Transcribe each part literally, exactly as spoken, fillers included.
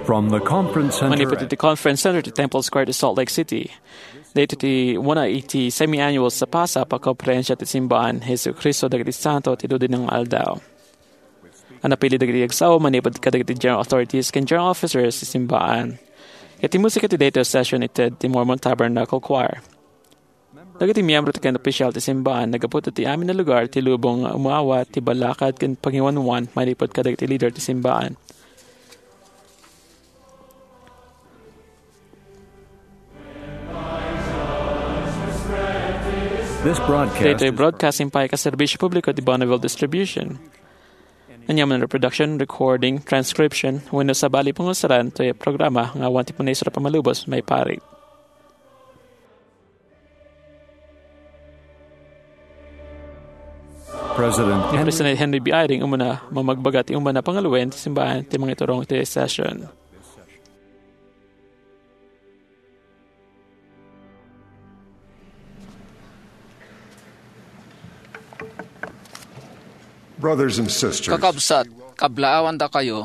From the Conference Center Manipud iti Conference Center ti Temple Square ti Salt Lake City. Daytoy ti una iti semi-annual Sapasapa Konferensia ti Simbaan Jesu-Cristo dagiti Santo ti Dudi nga Aldaw. A napili dagiti agsao manipud kadagiti general authorities ken general officers ti simbaan. Iti musika ti daytoy a session ited ti Mormon Tabernacle Choir. Dagiti miyembro ken opisyal ti simbaan naggapu ti amin a lugar ti lubong nga umawat ti balakad ken pangiwanwan manipud kadagiti leader ti simbaan. This broadcast Daytoy is broadcasting pay ket serbisyo publiko ti Bonneville Distribution. Aniaman a reproduction, recording, transcription, wenno sabali pangusaran toy programa nga awan ti panaisuro a pammalubos maiparit. President Ni Henry President Henry B. Eyring umuna mamagbaga ti umuna pangaluwen ti simbaan ti mangiturong ti session. Brothers and sisters, Kakabsat, kablaawandakayo,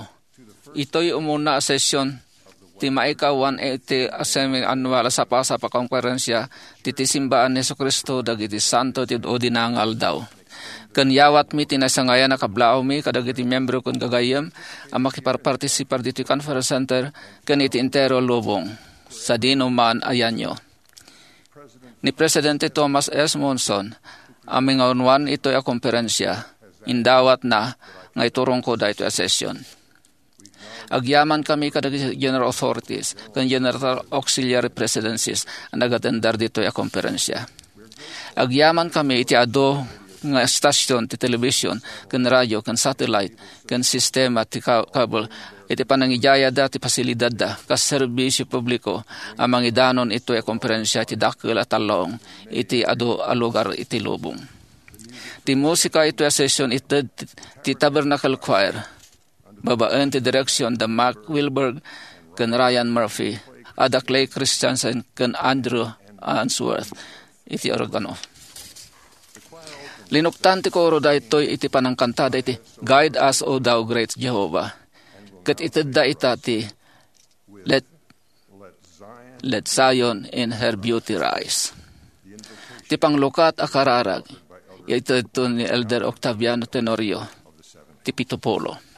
itoy umuna a session ti maikawan iti semi-annual a Sapasapa Konferensia ti, ti Simbaan ni Jesu-Cristo dagiti Santo ti Udi nga Aldaw. Ken yawatmi ti nasangayan a kablaawmi kadagiti miyembro ken gagayyem a makiparpartisipar ditoy Conference Center ken iti entero a lubong, sadino man a yanio. Ni Presidente Thomas S. Monson a mangiwanwan itoy a konferensia, indawatna nga iturongko daytoy a session. Agyamankami kadagiti general authorities ken general auxiliary presidencies a nagatender ditoy a konferensia. Agyamankami iti adu nga estasion ti television ken radio ken satellite ken sistema ti ka-, cable iti panangidayada ti pasilidadda kas serbisio publiko a mangidanon itoy a konferensia iti dakkel a talnaong iti adu a lugar iti lubong. Ti musika itoy a session ited ti Tabernacle Choir babaen ti direksion da Mark Wilberg ken Ryan Murphy, a da Clay Christensen ken Andrew Answorth iti organo. Linuktan ti koro daytoy iti panangkantada iti Guide Us, O Thou Great Jehovah, ket itedda ita ti Let, Let Zion in Her Beauty Rise. Ti panglukat a kararag, itedto ni Elder Octaviano Tenorio, ti pito pulo.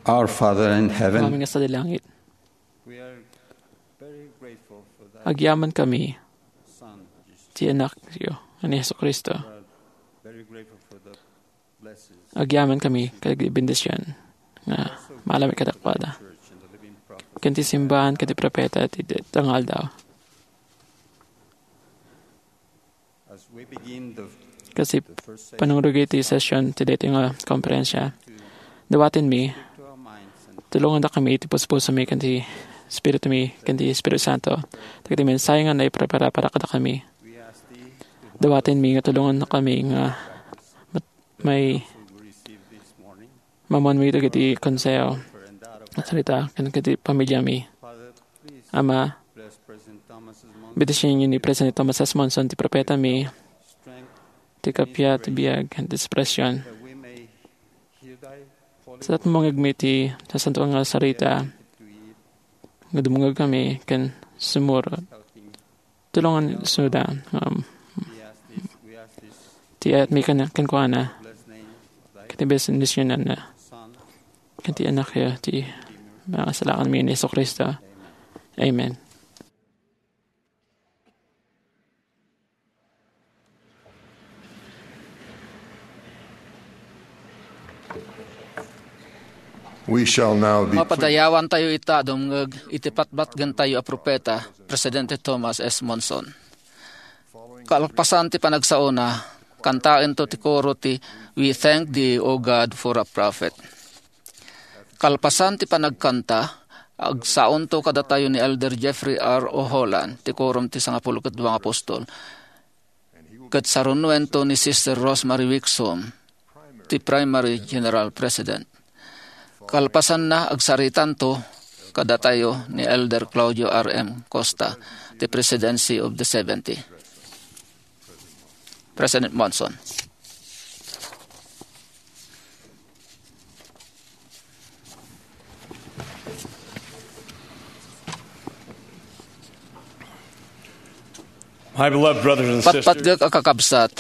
Our Father in heaven, Aming Sadilangit, we are very grateful for that agyamankami son, Jesus. Ti Anakyo, ni Jesu-Cristo. We are very grateful for the blessings. Agyamankami kadagiti bendision nga maalam kadakuada. Ken ti simbahan ken ti propeta ti tangaldaw. As we begin the, Kasi the first session, panungrog iti session ti daytoy nga konferensya, dawatenmi, to our minds and tulongandakami iti puspusomi ken ti Espiritumi ken ti Espiritu Santo. Dagiti mensahe nga naiprepara para kadakami. We ask thee to help Dawatenmi nga tulongandakami nga mat-, may who we receive this morning. Mamanmi dagiti konseho, sarita, ken kadagiti pamiliami. Father, please Ama, bless President Thomas S. Monson. Bendisionenyo ni President Thomas S. Monson, ti propetami, strength, ti kappia, ti biag, ken ti inspirasyon. That we may hear thy holy Sa tumungagmi ti nasantoan nga sarita, to eat, nga dumungagkami ken sumurot. Helping Tulongan suda, um, ti ayatmi ken-, kenkuana, ket ti bendisionanna, ket ti Anakyo, ti pangasalakanmi ni Jesu-Cristo. Amen. We shall now be Mapadayawantayo ita a dumngeg iti patpatgentayo a propeta, Presidente Thomas S. Monson. Kalpasan ti panagsaona, kantaento ti koro ti "We Thank Thee, O God, for a Prophet." Kalpasan ti panagkanta, agsaonto kadatayo ni Elder Jeffrey R. O. Holland, ti Quorum ti Sangapulo ket Dua nga Apostol. Ket sarunoento ni Sister Rosemary Wixom, ti Primary General President. Kalpasanna, agsaritanto kadatayo ni Elder Claudio R. M. Costa, ti Presidency of the Seventy. President Monson. My beloved brothers and sisters, Patpatgek a kakabsat,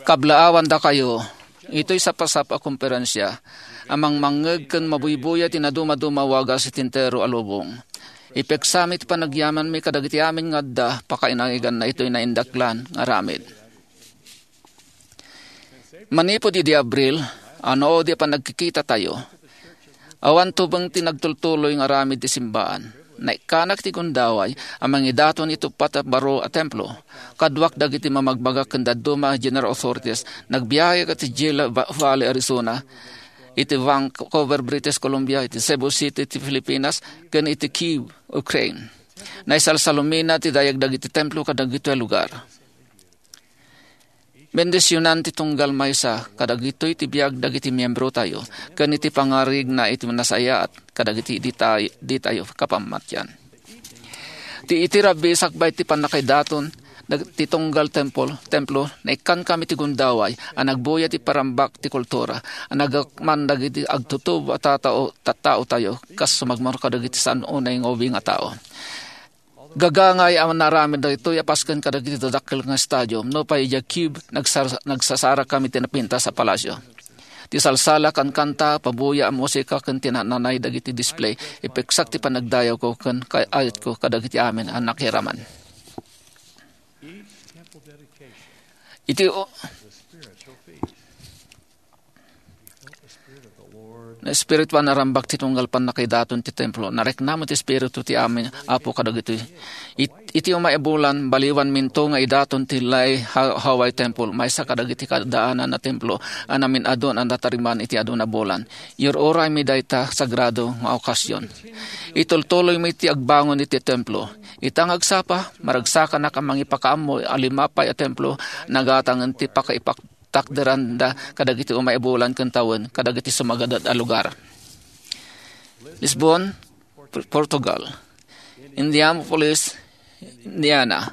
kablaawandakayo itoy sapasap a komperensia a mangmangngeg ken mabuybuya ti nadumaduma a wagas iti entero a lubong. Ipeksami ti panagyamanmi kadagiti amin nga adda pakainaganna itoy naindaklan nga aramid. Manipud idi Abril, ano di a panagkikitatayo, awan tubeng ti nagtultuloy nga aramid ti simbaan. Naikkanak ti gundaway a mangidaton iti uppat a baro a templo. Kaduak dagiti mamagbaga ken dadduma a general authorities, nagbiahe iti Gila Va-, Valley, Arizona, iti Vancouver, British Columbia, iti Cebu City, iti Filipinas, ken iti Kyiv, Ukraine. Naisalsalumina ti dayag dagiti templo kadagitoy a lugar. Bendisionan ti tunggal maysa kadagitoy ti biag dagiti miembrotayo ken iti pangarigna iti nasayaat kadagiti ditayo, ditayo kapammatian. Ti iti rabbi sakbay ti pannakaidaton dag-, ti tunggal tempol-, templo, naikkankami ti gundaway a nagbuya ti parambak ti kultura a nagakman dagiti agtutubo a tatao, tattaotayo kas sumagmamano kadagiti san unay nga ubing a tao. Gagangay a naaramid daytoy a pasken kadagiti dadakkel nga stadium. Nupay idiay Kyiv, nagsar-, nagsasarakami ti napintas a palasio. Ti salsala, kankanta, pabuya a musika ken ti nananay dagiti display, ipeksak ti panagdayawko ken kaayatko kadagiti amin a nakiraman. Iti o-, Naespirituan a rambak ti tunggal pannakaidaton ti templo. Nariknamo ti Espiritu ti amin Apo kadagitoy. It-, iti umay a bulan, baliwanminto nga idaton ti Lai Ha-, Hawaii Temple, maysa kadagiti kaadaanan a templo a namin-adun a natariman iti adu a bulan. Iyur-uraymi dayta sagrado nga okasyon. Itultuloymi ti agbangon iti templo. Ita nga agsapa, maragsakanak a mangipakaammo a lima pay a templo, nagatangen ti pakaipak-, takderanda kadagiti umay a bulan ken tawen kadagiti sumagadad a lugar. Lisbon, P-, Portugal. Indianapolis, Indiana.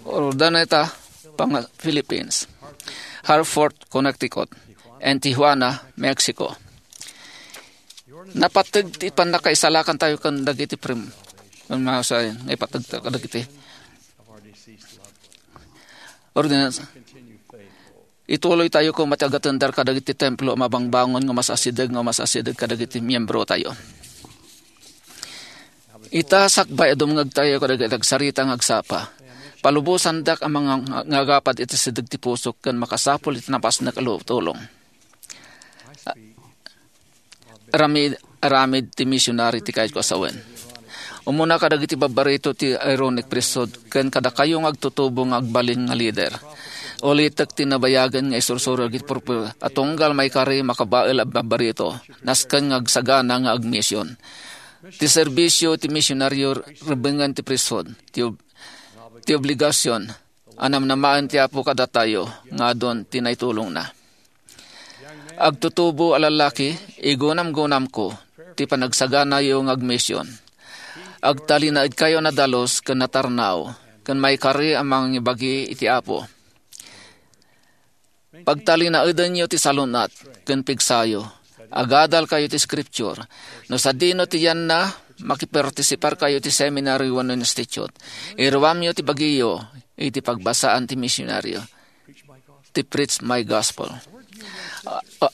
Urdaneta, Panga-, Philippines. Hartford, Connecticut. And Tijuana, Mexico. Napateg ti pannakaisalakantayo ken dagiti prim-, ken masayen nga ipateg kadagiti ordinansa. Ituloytayo koma ti agatendar kadagiti templo a mabangbangon nga masasideg nga masasideg kadagiti miembrotayo. Ita, sakbay a dumngegtayo kadagiti agsarita nga agsapa, palubosandak a mangangagapad iti sideg ti pusok ken makasapul iti napasnek a tulong. Aramid, aramid ti misionary ti kayatko a sawen. Umuna kadagiti babbarito ti Aaronic Priesthood ken kadakayo nga agtutubo nga agbalin nga leader. Ulitek ti nabayagen nga isursuro dagiti propeta a tunggal maikari makabael a babbarito, nasken nga agsagana nga agmision. Ti serbisio ti misionaryo rebbengen ti priesthood, ti ob-, ti obligasion a namnamaen ti Apo kadatayo nga adun ti naitulongna. Agtutubo a lallaki, igunamgunamko ti panagsaganayo nga agmision. Agtalinaedkayo a nadalus ken natarnaw, ken maikari a mangibagi iti Apo. Pagtalinaedenyo ti salun-at ken pigsayo. Agadalkayo ti Scripture. No sadino ti yanna, makipartisiparkayo ti seminary wenno institute. Iruamyo ti bagiyo iti pagbasaan ti misionaryo, ti Preach My Gospel. Ah, ah,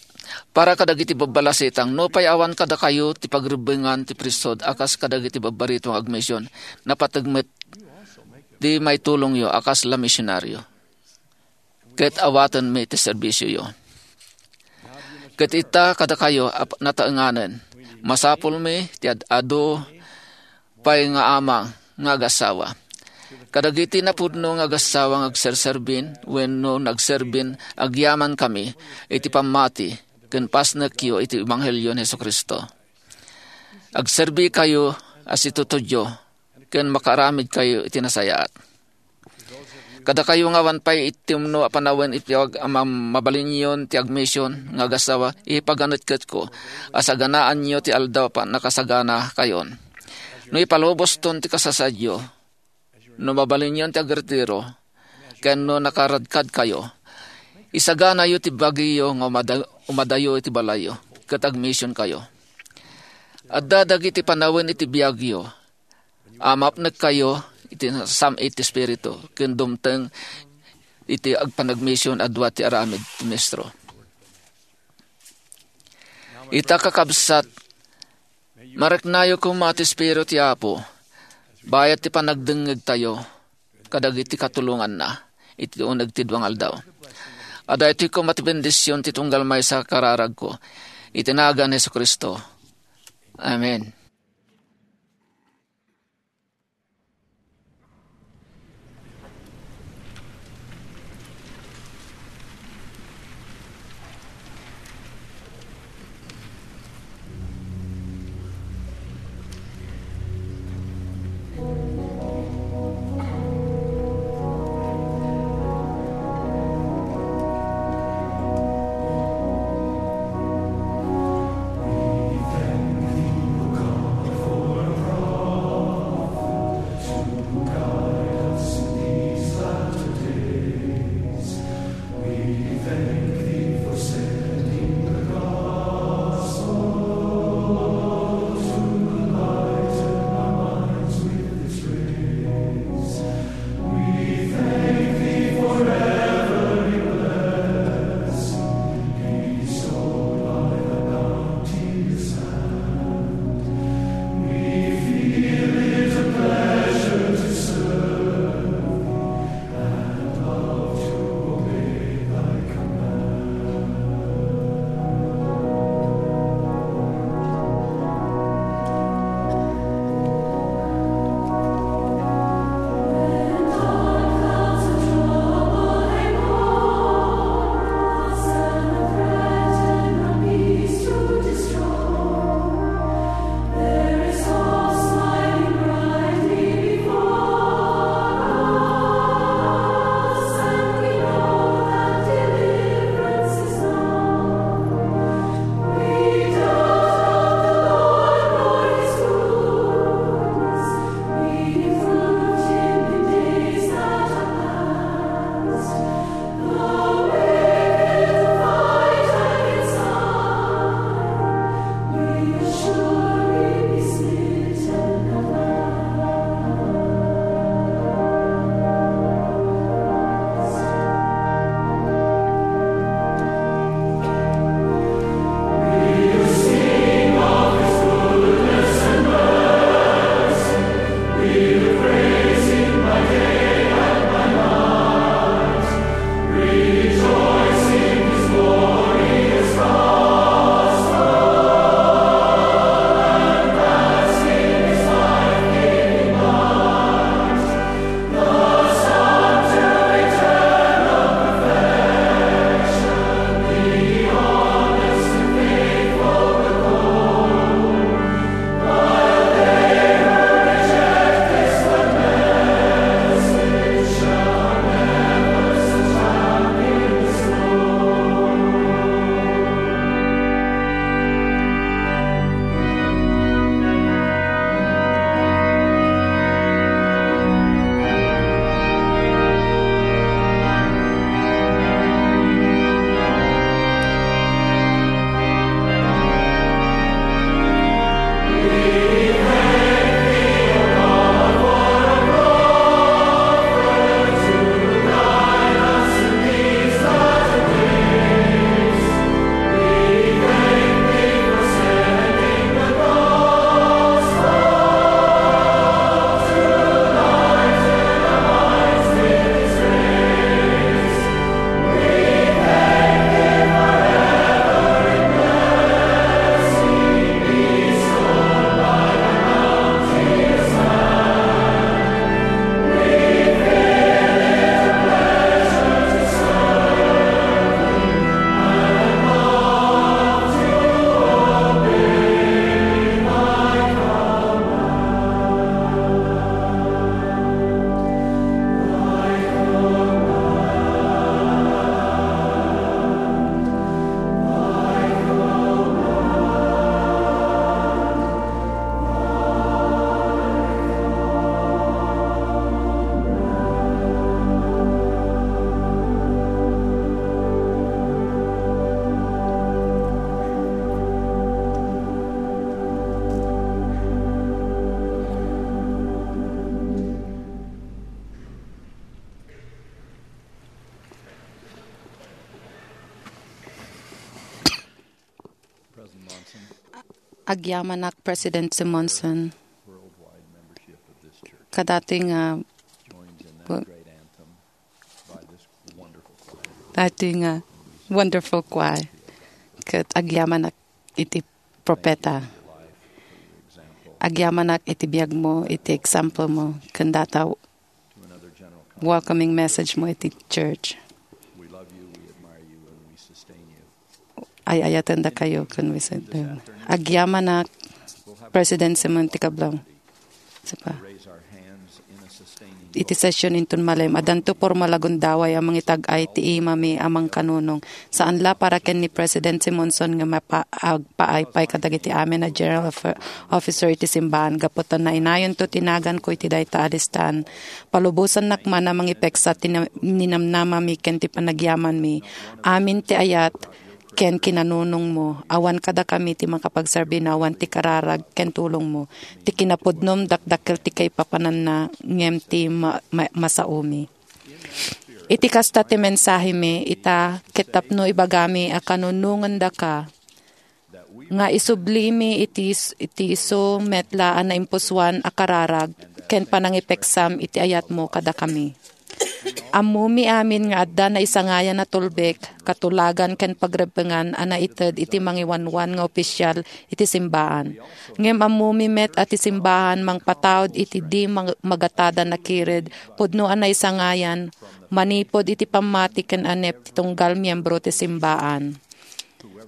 para kadagiti babbalasitang, nupay awan kadakayo ti pagrebbengan ti priesthood a kas kadagiti babbarito nga agmision, napateg met ti maitulongyo a kasla misionaryo. Ket awatenmi ti serbisioyo. Ket ita kadakayo a nataenganen, masapulmi ti ad-adu pay nga ama nga agassawa. Kadagiti napudno nga agassawa nga agserserbin wenno nagserbin, agyamankami iti pammati ken pasnekyo iti ebanghelio ni Jesu-Cristo. Agserbikayo a situtudyo ken makaaramidkayo iti nasayaat. Kadakayo nga awan pay itimno a panawen iti ag-, a mam-, mabalinyon ti agmision nga agassawa, ipaganetketko a saganaanyo ti aldaw a pannakasaganakayon. No ipaluboston ti kasasaadyo, no mabalinyon ti agretiro, ken no nakaradkadkayo, isaganayo ti bagiyo nga umada-, umadayo iti balayyo, ket agmisionkayo. Adda dagiti panawen iti biagyo, a mapnekkayo iti sam-it ti Espiritu ken dumteng iti agpanagmision a dua ti aramid ti ministro. Ita, kakabsat, mariknayo koma ti Espiritu ti Apo, bayat ti panagdengngegtayo kadagiti katulonganna iti uneg ti dua nga aldaw. Adda iti koma ti bendision ti tunggal maysa a kararagko iti nagan ni Jesu-Cristo. Amen. Agyamanak, President Simonson, kadatoy nga, datoy nga wonderful choir, ket agyamanak iti propeta. Agyamanak iti biagmo, iti example mo, ken data welcoming message mo iti church. Ay-ayatendakayo ken wisitdem. Agyamanak, President Simon ti Kablang. Sapa. Iti session inton malem, addanto pormal a gundaway a mangitag-ay ti imami a mangkanunong. Saan la para ken ni President Simonson nga mapa-, agpaay pay kadagiti amin a general offer-, officer iti simbahan. Gapu ta nainayonto ti naganko iti dayta a listaan. Palubosannak man a mangipeksa ti na-, ninamnamami ken ti panagyamanmi. Amin ti ayat ken kinanunongmo. Awan kadakami ti makapagserbi no awan ti kararag ken tulongmo. Ti kinapudnom dakdakkel ti kaipapananna ngem ti ma-, ma-, masaomi. Iti kasta ti mensahemi, ita, ket tapno ibagami a kanunongendaka, nga isublimi iti is-, iti isu met la a naimpusoan a kararag ken panangipeksam iti ayatmo kadakami. Ammomi amin nga adda naisangayan a tulbek, katulagan ken pagrebbengan a naited iti mangiwanwan nga opisyal iti simbaan. Ngem ammomi met a ti simbahan mangpataud iti di mag-, magatada nakired pudno a naisangayan manipud iti pammati ken anep ti tunggal miembro ti simbaan.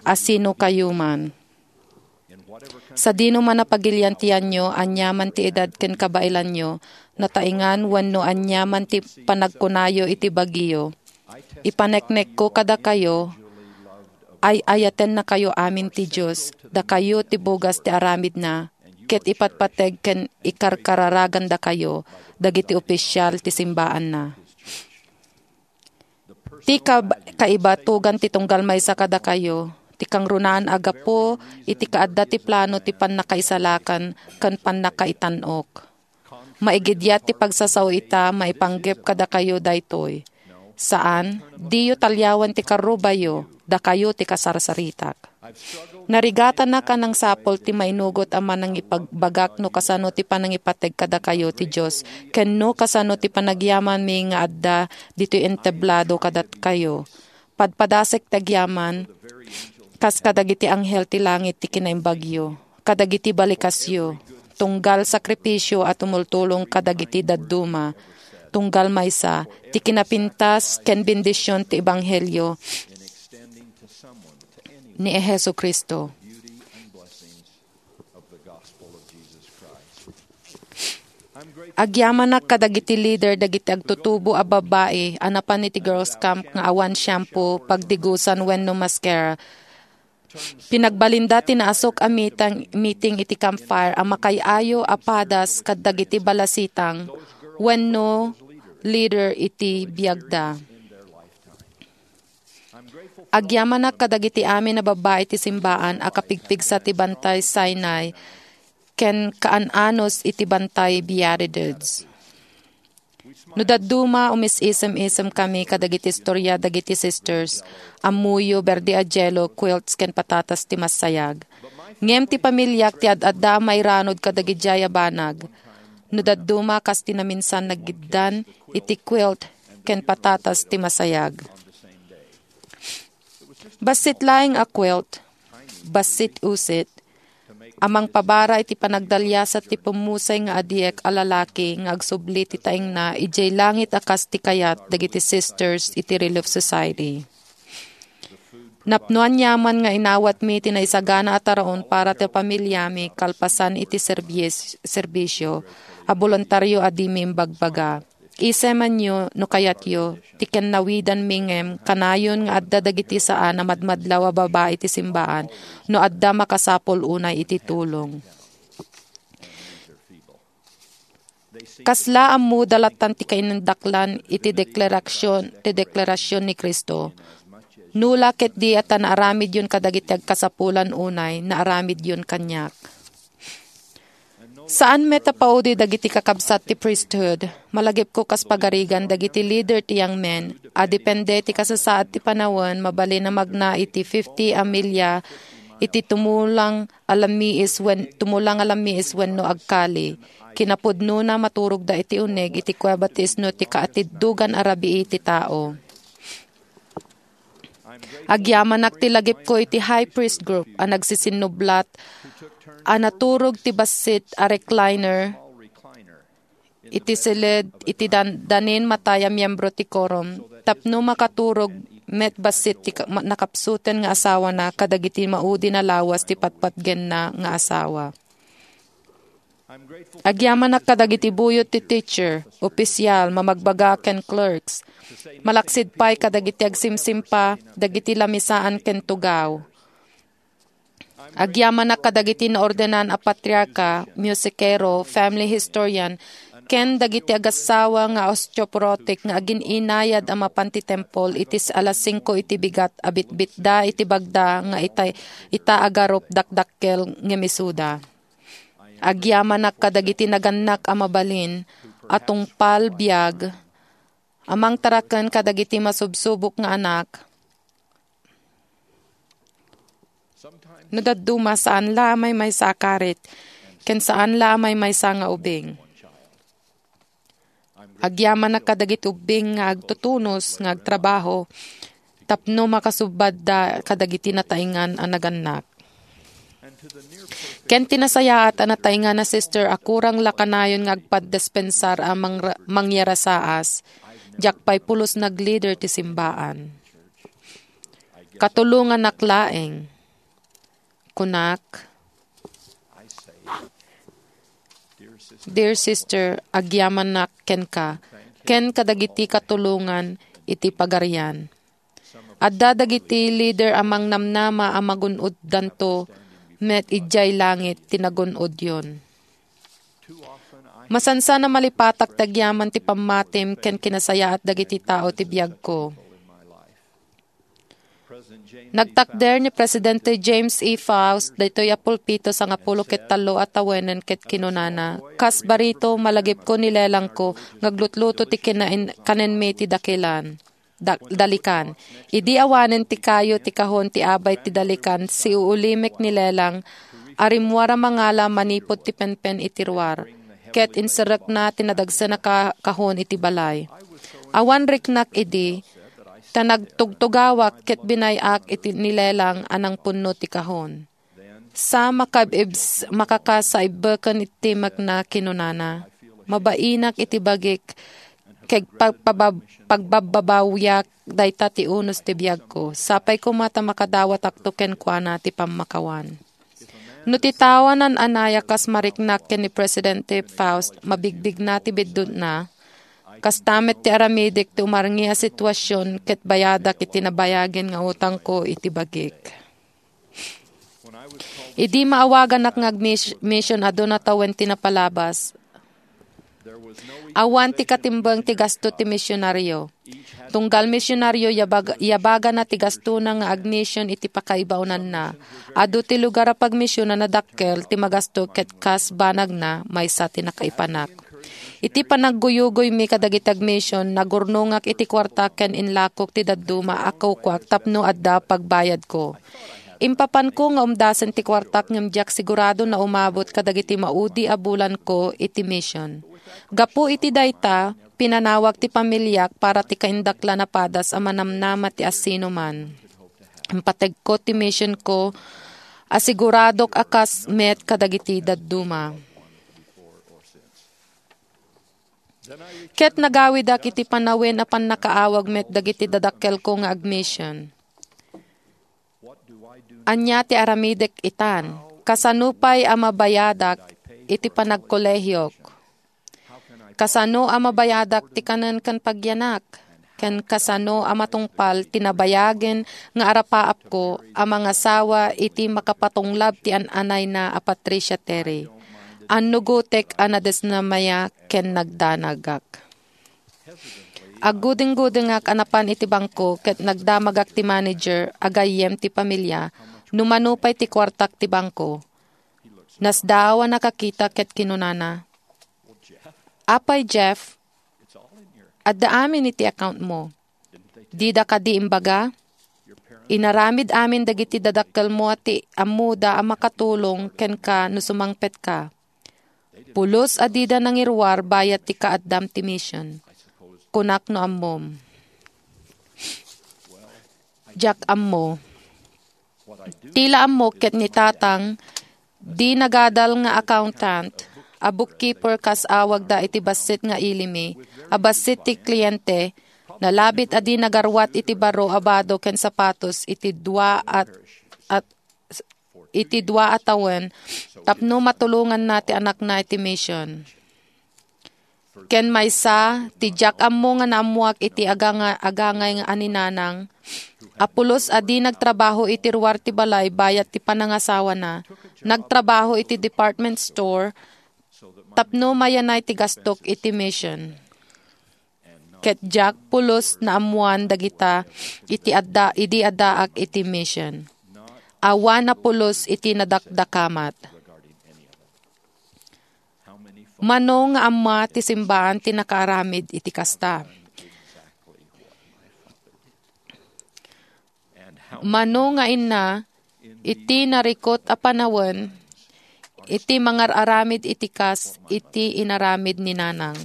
Asinokayo man. Sadino man a pagilian ti yanyo, aniaman ti edad ken kabaelanyo, nataengan wenno aniaman ti panagkunayo iti bagiyo, ipaneknekko kadakayo, ay-ayatennakayo amin ti Dios, dakayo ti bugas ti aramidna, ket ipatpateg ken ikarkararagandakayo dagiti opisyal ti simbaanna. Ti kab-, kaibatugan ti tunggal maysa kadakayo, ti kangrunaan a gapu iti kaadda ti plano ti pannakaisalakan ken pannakaitan-ok. Maigidiat ti pagsasao ita maipanggep kadakayo daytoy. Saan, diyo taliawen ti karrubayo, dakayo ti kasarsaritak. Narigatanak a nangsapul ti mainugot a manangipagbagak no kasano ti panangipateg kadakayo ti Dios, ken no kasano ti panagyamanmi nga adda ditoy entablado kadakayo. Padpadasek ti agyaman, kas kadagiti anghel ti langit ti kinaimbagyo, kadagiti balikasyo, tunggal sakripisio a tumultulong kadagiti dadduma, tunggal maysa, ti kinapintas ken bendision ti ebanghelio ni Jesu-Cristo. Agyamanak kadagiti leader dagiti agtutubo a babbai a napan iti girls' camp nga awan shampoo, pagdigusan wenno mascara. Pinagbalinda ti naasuk a mitang-, meeting iti campfire a makaay-ayo a padas kadagiti balasitang wenno leader iti biagda. Agyamanak kadagiti amin a babbai ti simbaan a kapigpigsa ti Bantay Sinai ken kaan-anos iti Bantay Beatitudes. No dadduma, umis-isem-isem kami kadagiti istoria dagiti sisters, ammoyo, berde a jello, quilts, ken patatas ti masayag. Ngem ti pamiliak ti ad-adda a mairanud kadagidiay a banag. No dadduma, kas ti naminsan nagiddan iti quilt ken patatas ti masayag. Bassit laeng a quilt, bassit usit, a mangpabara iti panagdaliasat ti pummusay nga adiek a lalaki nga agsubli ti taengna idiay langit a kas ti kayat dagiti sisters iti Relief Society. Napno aniaman nga inawatmi ti naisagana a taraon para ti pamiliami kalpasan iti serbis-, serbisio a boluntario a dimi imbagbaga. Isemanyo no kayatyo ti kennawidanmi ngem kanayon nga adda dagiti saan a madmadlaw a babai ti simbaan no adda makasapul unay iti tulong. Kasla ammoda lattan ti kainandaklan iti deklarasyon, ti deklarasyon ni Cristo. Nula ketdi a ta naaramidyon kadagiti agkasapulan unay, naaramidyon kaniak. Saan met a paudi dagiti kakabsat ti priesthood, malagipko kas pagarigan dagiti leader ti young men, a depende ti kasasaad ti panawen, mabalin a magna iti fifty a milya iti tumulang a lammiis wen-, tumulang a lammiis wenno agkali. Kinapudnona, maturogda iti uneg iti kueba ti isno ti kaatiddogan a rabii ti tao. Agyamanak ti lagipko iti high priest group a nagsisinnublat a naturog ti bassit a recliner iti siled iti dan-, danin matay a miyembro ti quorum tapno makaturog met bassit ti ka-, ma-, nakapsuten nga asawana kadagiti maudin a lawas ti patpatgenna nga asawa. Agyamanak kadagiti buyot ti teacher, opisyal, mamagbaga ken clerks. Malaksid pay kadagiti agsimsimpa dagiti lamisaan ken tugaw. Agyamanak kadagiti naordenan a patriarka, musikero, family historian, ken dagiti agassawa nga osteoporotic nga agin-inayad a mapan ti tempol iti s-, alas singko iti bigat a bitbitda iti bagda nga ita, ita agarup dakdakkel ngem isuda. Agyamanak kadagiti nagannak a mabalin a tungpal biag a mangtaraken kadagiti masubsubok nga anak. No dadduma, saan la a maymaysa a karit, ken saan la a maymaysa nga ubing. Agyamanak kadagiti ubbing nga agtutunos nga agtrabaho tapno makasubbadda kadagiti nataingan a nagannak. Ken ti nasayaat a nataingan a sister a kurang la kanayon nga agpadispensar a mangra-, mangyarasaas, diak pay pulos nagleader ti simbaan. Katulonganak laeng. Kunak, dear sister, agyamanak kenka, ken kadagiti katulongan iti pagarian. Adda dagiti leader a mangnamnama a magun-oddanto, met idiay langit ti nagun-odyon. Masansan a malipatak ti agyaman ti pammatim ken kinasayaat dagiti tao ti biagko. Nagtakder ni Presidente James E. Faust daytoy a pulpito sangapulo ket tallo a tawenen ket kinunana, "Kas barito, malagipko ni lelangko nga aglutluto ti kinain-, kanenmi ti dakilan, da-, dalikan. Idi awanen ti kayo ti kahon ti abay ti dalikan, siuulimek ni lelang a rimmuar a mangala manipud ti penpen iti ruar, ket inserrekna ti nadagsen a ka-, kahon iti balay. Awan riknak idi, ta nagtugtugawak ket binay-ak iti ni lelang a nangpunno ti kahon. Sa makaibs-, makakasaibbeken ti timekna," kinunana. "Mabainak iti bagik, ket pagpabab-, pagbabbabawiak dayta ti unos ti biagko. Sapay koma ta makadawatakto kenkuana ti pammakawan." No ti tao a nan-anaya kas mariknak ken ni Presidente Faust, mabigbigna ti biddutna, kasta met ti aramidek ti umarngi a situasion ket bayadak iti nabayagen nga utangko iti bagik. Idi maawaganak nga agmis-, mission, aduna tawen ti napalabas. Awan ti katimbeng ti gasto ti misionario. Tunggal misionario, yabag-, yabagana ti gastona nga agmission iti pakaibaonanna. Adu ti lugar a pagmission a nadakkel ti magasto ket kas banagna, maysa ti nakaipanak. Iti panagguyugoymi kadagiti agmission, nagurnongak iti kuarta ken inlakok ti dadduma a kukuak tapno adda pagbayadko. Impapanko nga umdasen ti kuartak ngem diak sigurado na umabot kadagiti maudi a bulanko iti mission. Gapu iti dayta, pinanawag ti pamiliak para ti kaindaklan a padas a manamnama ti asinoman. Impategko ti missionko a siguradok a kas met kadagiti dadduma. Ket nagawidak iti panawen a pannakaawag met dagiti dadakkelko nga agmission. Ania ti aramidek itan? Kasano pay a mabayadak iti panagkolehiok? Kasano a mabayadak ti kanen ken pagyanak? Ken kasano a matungpal ti nabayagen nga arapaapko a mangasawa iti makapatunglab ti an-anayna a Patricia Terry? Annugotek a nadesnamaya ken nagdanagak. Aggudinggudengak a napan iti bangko ket nagdamagak ti manager a gayyem ti pamilia no mano pay ti kuartak ti bangko. Nasdaaw a nakakita ket kinunana, "Apay, Jeff, adda amin iti account mo. Dida kadi imbaga? Inaramid amin dagiti dadakkelmo a ti ammoda a makatulong kenka no sumangpetka. Pulos a dida nangiruar bayat ti kaaddam ti mission. Kunak no ammom. Diak ammo. Ti la ammo ket ni Tatang, di nagadal nga accountant, a bookkeeper kas awagda iti bassit nga ilimi, a bassit ti kliente, nalabit a di nagaruat iti baro a bado ken sapatos iti dua a, a, iti dua a tawen tapno matulonganna ti anakna iti mission. Ken maysa, ti diak ammo nga naammoak iti aganga-, agangay nga aninanang, a pulos a di nagtrabaho iti ruar ti balay bayat ti panangasawana, nagtrabaho iti department store tapno mayanay ti gastok iti mission. Ket diak pulos naammoan dagita iti adda, idi addaak iti mission. Awan a pulos iti nadakdakamat. Mano nga amma ti simbaan ti nakaaramid iti kasta? Mano nga inna iti narikut a panawen iti mangar-aramid iti kas iti inaramid ni Nanang?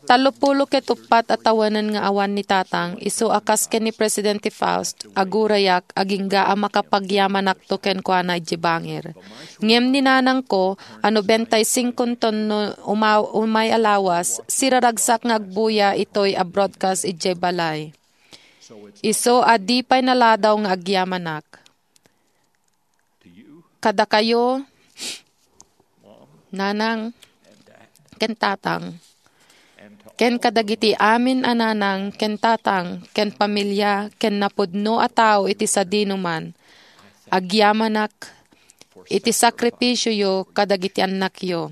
Tallopulo ket uppat a tawenen nga awan ni Tatang, isu a kas ken ni Presidente Faust, agurayak agingga a makapagyamanakto kenkuana idiay bangir. Ngem ni nanangko a nobenta y singko ton no uma-, umay a lawas, siraragsak nga agbuya itoy a broadcast idiay balay. Isu a di pay naladaw nga agyamanak. Kadakayo, nanang, ken tatang, ken kadagiti amin a nanang ken tatang ken pamilia ken napudno a tao iti sadinoman, agyamanak iti sakripisioyo kadagiti annakyo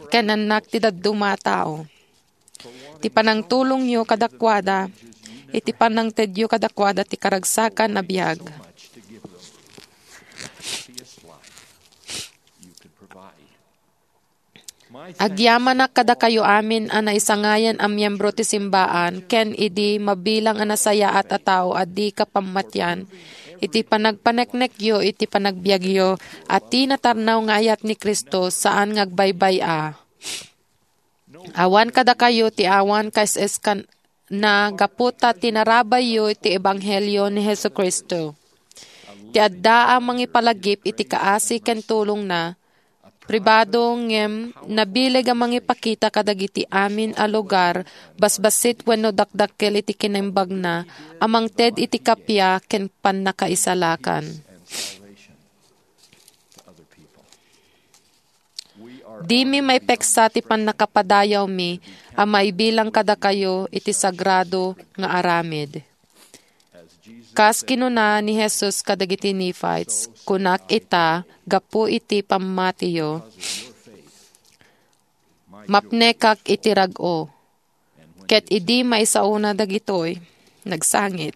ken annak ti dadduma a tao. Ti panangtulongyo kadakuada, iti panangtedyo kadakuada ti karagsakan a biag. Agyamanak kadakayo amin a naisangayan a miyembro ti simbaan ken idi mabilang a nasayaat a tao a di kapammatian iti panagpaneknekyo iti panagbiagyo a ti natarnaw nga ayat ni Cristo saan nga agbaybay-a. Awan kadakayo ti awan kaes-eskan na gapu ta tinarabayyo ti ebanghelio ni Jesu-Cristo. Ti adda a mangipalagip iti kaasi ken tulongna, pribado ngem nabileg a mangipakita kadagiti amin a lugar, basbassit wenno dakdakkel iti kinaimbagna a mangted iti kappia ken pannakaisalakan. Dimi maipeksa ti pannakapadayawmi a maibilang kadakayo iti sagrado nga aramid. Kas kinuna ni Jesus kadagiti Nephites, "Kunak ita, gapu iti pammatiyo, mapnekak iti rag-o." Ket idi maisaona dagitoy, nagsangit.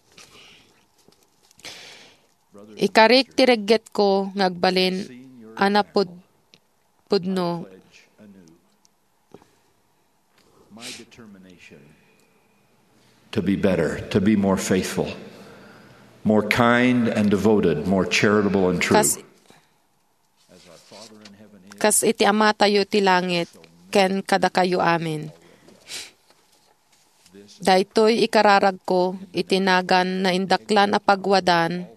Ikarik ti reggetko nga agbalin a napud-, pudno. My determination to be better, to be more faithful, more kind and devoted, more charitable and true. Kas-, kas iti Amatayo ti langit ken kadakayo amin. Daytoy ikararagko iti nagan naindaklan a pagwadan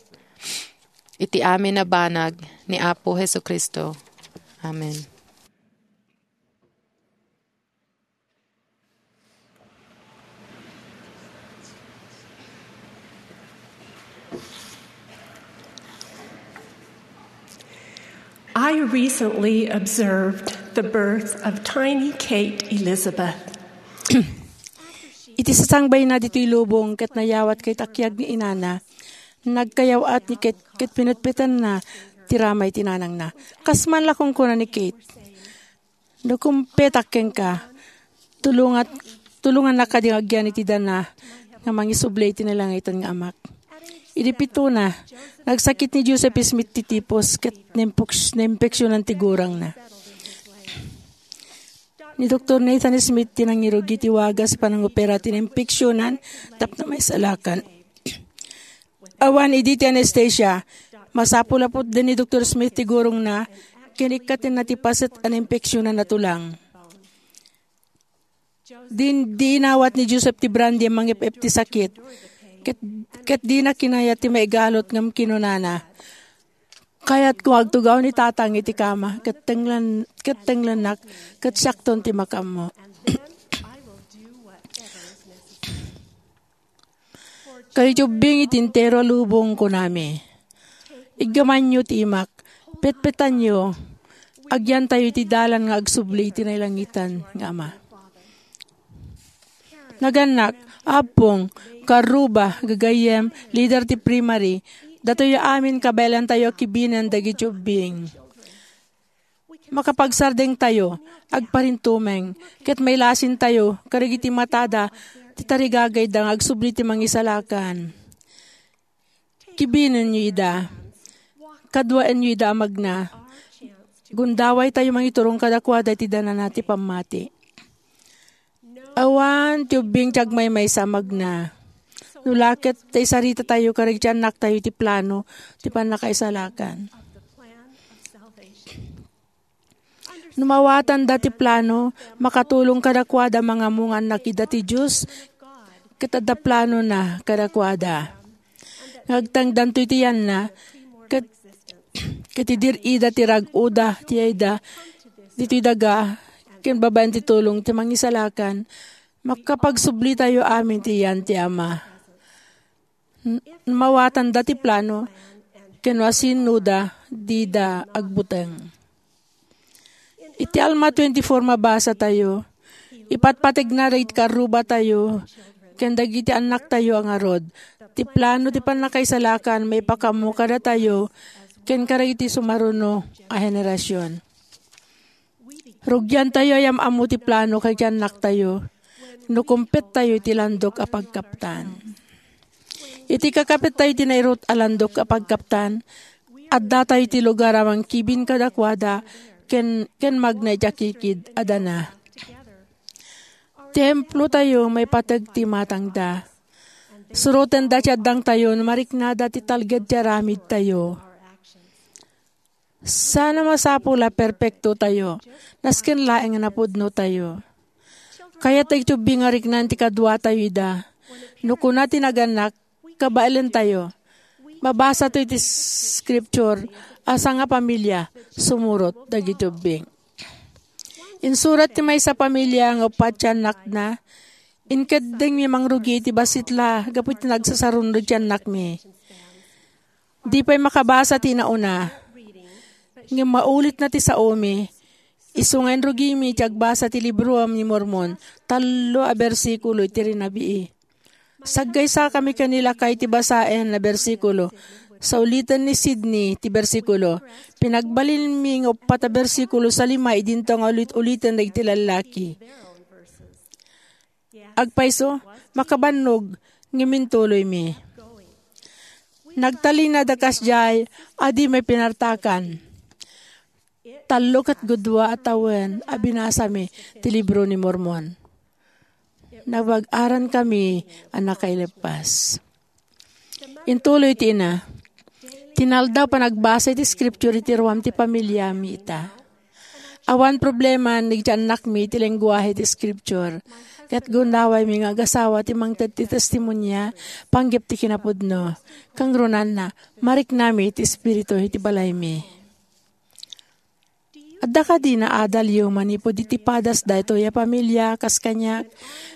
iti amin a banag ni Apo Jesu-Cristo. Amen. I recently observed the birth of tiny Kate Elizabeth. Iti sasangbayna ditoy lubong ket nayawat ket akiag ni inana, nagkayaw-at ni Kate ket pinetpetanna ti ramay ti nanangna. Kas man la kunkuna ni Kate, "No kumpetak kenka, tulongat-, tulongannak kadi nga agyan iti dana nga mangisubli iti nalangitan nga Amak." Idi pituna, nagsakit ni Joseph Smith ti tipos ket naimpuks-, naimpeksyonan ti gurangna. Ni Doktor Nathan Smith ti nangirugi ti wagas ti panangopera ti naimpeksyonan tapno maisalakan. Awan idi ti anestesia. Masapul a putden ni Doktor Smith ti gurongna, ken ikkatenna ti paset a nainfeksionan a tulang. Din, di inawat ni Joseph ti brandy a mangep-ep ti sakit. Ket, ket dina kinayat ti maigalut ngem kinunana, "Kayatko nga agtugaw ni Tatang iti kama, ket tenglen-, ket tenglennak, ket siakton ti makaammo." Kadagiti ubbing iti entero a lubong, kunami, iggamanyo ti imak, petpetanyo, agyantayo iti dalan nga agsubli iti nailangitan nga Ama. Nagannak, Apo, karruba, gagayyem, lider ti primary, datoy amin kabaelantayo a kibinen dagiti ubbing. Makapagsardengtayo, agparintumeng, ket mailasintayo kadagiti matada ti tarigagayda nga agsubli ti mangisalakan. Kibinenyo ida. Kaduaenyo ida a magna. Gundawaytayo mangiturong kadakuada iti danana ti pammati. Awan ti ubbing ti agmaymaysa a magna. No la ket, ta isaritatayo kadagiti annaktayo iti plano ti pannakaisalakan. No mawatanda ti plano, makatulong kadakuada mangamungan na kida ti Dios, ket adda planona kadakuada. Nga agtangdanto iti yanna, ket, ket idir-ida ti rag-oda, ti ayda, ditoy daga, ken babaen ti tulong ti mangisalakan, makapagsublitayo amin ti yan ti Ama. N-, mawatanda ti plano, ken no asinoda, dida agbuteng. Iti Alma twenty-four mabasa tayo, ipatpategna dagiti karrubatayo ken dagiti annaktayo a ngarud, ti plano ti pannakaisalakan maipakammo kadatayo ken kadagiti sumaruno a henerasion. Rugiantayo a yam-ammo ti plano kadagiti annaktayo no kumpettayo iti landok a pagkaptan. Iti kakapettayo iti nairut a landok a pagkaptan, addatayo iti lugar a mangkibin kadakuada ken, ken magna iti akikid a dana. Templotayo maipateg ti imatangda. Surotenda ti addangtayo no mariknada ti talged ti aramidtayo. Saan a masapul a perpektotayo, nasken laeng a napudnotayo. Kayat dagiti ubbing nga riknan ti kaduatayo ida. No kuna ti nagannak, kabaelentayo. Mabasa to iti scripture a sangapamilia, sumurot dagiti ubbing. Insurat ti maysa a pamilia nga uppat ti annakna, "Inkeddengmi mangrugi iti bassit la gapu iti nagsasaruno ti annakmi. Di pay makabasa ti inauna. Ngem maulitna ti saomi. Isu nga inrugimi ti agbasa ti Libro ni Mormon, tallo a bersikulo iti rinabii. Saggaysakami ken ni lakay ti basaen a bersikulo. Sauliten ni Sydney ti bersikulo. Pinagbalinmi nga uppat a bersikulo sa lima idinto nga ulit-uliten dagiti lallaki." Agpayso, makabannog, ngem intuloymi. Nagtalinaed a kasdiay a di maipinartakan. Tallo ket gudua a tawen a binasami ti Libro ni Mormon. Nabag-arankami a nakaileppas. Intuloy ti ina, "Tinaldaw panagbasa iti scripture iti ruam ti pamiliami ita. Awan problema dagiti annakmi iti lenguahe ti scripture, ket gundawaymi nga agasawa ti mangted ti testimonia panggep ti kinapudno. Kangrunanna, mariknami ti Espiritu iti balaymi." Adda kadi naadalyo manipud iti padas daytoy a pamilia kas kaniak?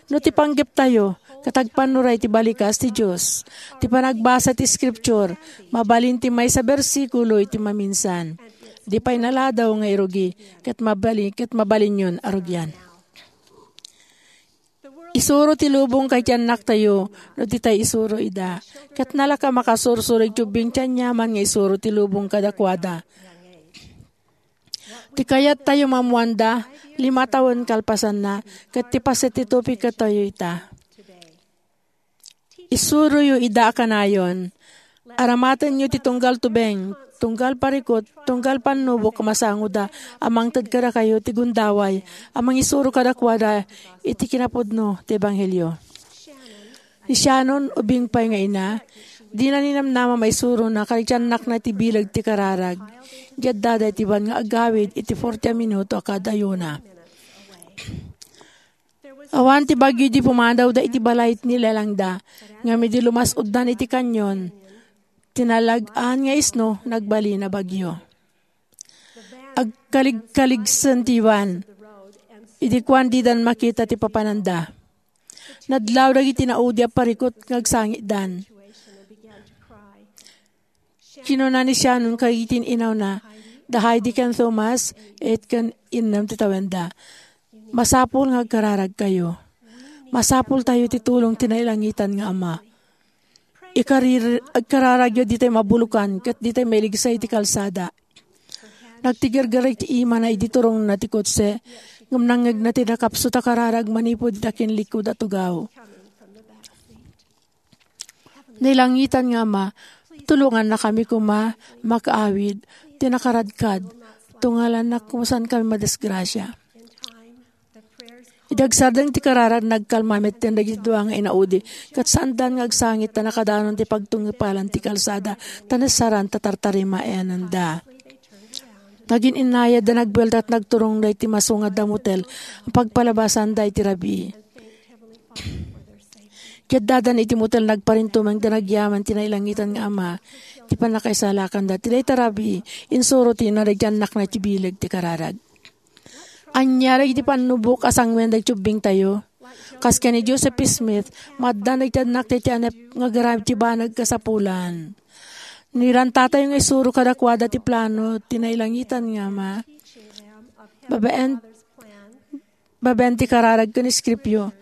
No ti panggeptayo, ket agpannuray ti balikas ti Dios. Ti panagbasa ti Scripture, mabalin ti maysa bersikulo iti maminsan. Di pay naladaw nga irugi, ket mabali-, ket mabalinyon a rugian. Isuro ti lubong kay ti annaktayo no ditay isuro ida. Ket nalaka makasursuro iti ubbing ti aniaman nga isuro ti lubong kadakuada. Ti kayattayo maammoanda, lima tawen kalpasanna, ket ti paset ti tupigtayo ita. Isuroyo ida a kanayon. Aramatenyo ti tunggal tubeng, tunggal parikut, tunggal pannubok a masangoda a mangted kadakayo ti gundaway a mangisuro kadakuada iti kinapudno ti ebanghelio. Ni Shannon, ubing pay nga ina, Dina ninamnama maisuronak a ridiannakna iti bileg ti kararag. Diadda daytoy ban nga agawid iti forty a minuto a kada ayuna. Awan ti bagyo idi pumadaw da iti balay ni lelangda, ngem idi lumas-uddan iti kanyon, ti nalag-an nga isno nagbalin a bagyo. Agkaligkaligsen ti Juan, idi kuan didan makita ti papananda. Nadlaw dagiti naudi a parikut nga agsangitdan. Kinuna ni Shannon kadagiti in-inawna, da Heidi ken Thomas, et ken innem ti tawenda. Masapul nga agkararagkayo. Masapul tayo ti tulong ti nailangitan nga Ama. Ikarir-, agkararagyo ditay mabulokan ket ditay mailigsa iti kalsada. Nagtigergereg ti imana idi turongna ti kotse, ngem nangngegna ti nakapsut a kararag manipud iti akinlikud a tugaw. Nailangitan nga Ama, tulongannakami koma makaawid ti nakaradkad, tungalannak koma saankami madisgrasia. Idi agsardeng ti kararag, nagkalma metten dagiti dua nga inaudi, ket saandan nga agsangit ta nakadanon ti pagtungipalan ti kalsada, ta nasaran ta tartarimaenanda. Nagin-innayad da nagbuelta ket nagturongda iti masungadda motel, a pagpalabasanda iti rabii. Ket dadan iti motel, nagparintumeng da nagyaman ti nailangitan nga Ama, ti pannakaisalakanda. Ti dayta rabii, insuro ti naridiannakna iti bileg ti kararag. Ania dagiti pannubok a sanguen dagiti ubbingtayo? Kas ken ni Joseph Smith, maaddan dagiti annaktayo ti anep nga garamid ti banag kasapulan. Nirantatayo nga isuro kadakuada ti plano ti nailangitan nga Ama. Babaen, babaen ti kararag ken iskripyo.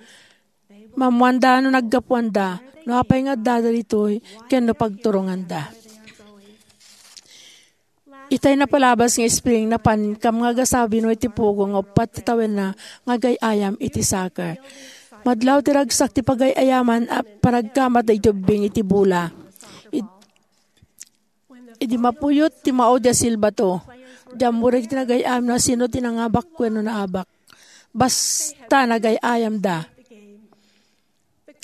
Maammoanda no naggapuanda, no apay nga addada ditoy, ken no pagturonganda. Itay napalabas nga spring, napan kam nga agasabi no iti pugo nga uppat ti tawenna nga agay-ayam iti soccer. Madlaw ti ragsak ti pagay-ayaman a panagkamat dagiti ubbing iti bola. Id-, idi mapuyot ti maudi a silbato, di ammo dagiti nagay-ayam no sino ti nangabak wenno naabak. Basta nagay-ayamda.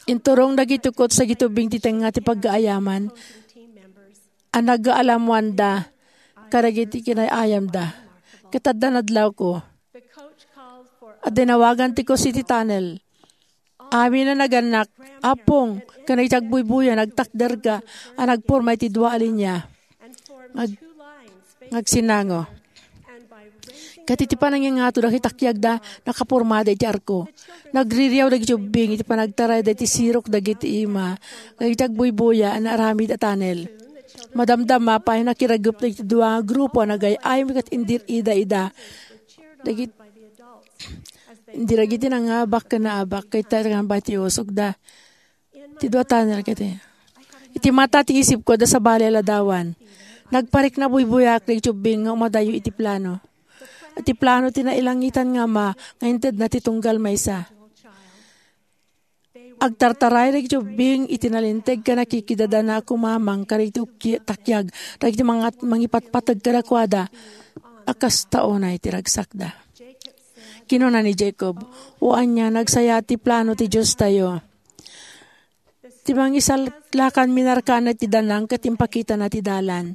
Inturong dagiti coach dagiti ubbing ti tengnga ti pagaayaman a nagaalamoanda kadagiti kinay-ayamda. Ket adda nadlawko. Adda inawagan ti coach iti tunnel. Amin a nagannak, "Apong, ken iti agbuybuya, nagtakderka a nagporma iti dua a linia." Ngag-, ngagsinango. Ket iti panangingato dagiti takiagda, nakapormada iti arko. Nagririaw dagiti ubbing iti panagtarayda iti sirok dagiti ima, dagiti agbuybuya a naaramid a tunnel. Madamdama pay, nakiragep dagiti dua nga grupo a nagay-ayam ket indir-ida ida. Dagit-, indi dagiti nangabak ken naabak, ket iti usogda. Ti dua tunnel ket iti mata ti isipko, adda sabali a ladawan. Nagpariknabuybuyaak dagiti ubbing nga umadayo iti plano. Iti plano ti nailangitan nga Ama nga intedna ti tunggal maysa. Agtartaray dagiti ubbing iti nalinteg ken nakikidadana a kumamang kadagiti ukki-, takiag dagiti mangat-, mangipatpateg kadakuada a kasta unay ti ragsakda. Kinuna ni Jacob, "O ania, nagsayaat ti plano ti Diostayo." Ti mangisalakan minarkana ti danang ket impakitana ti dalan.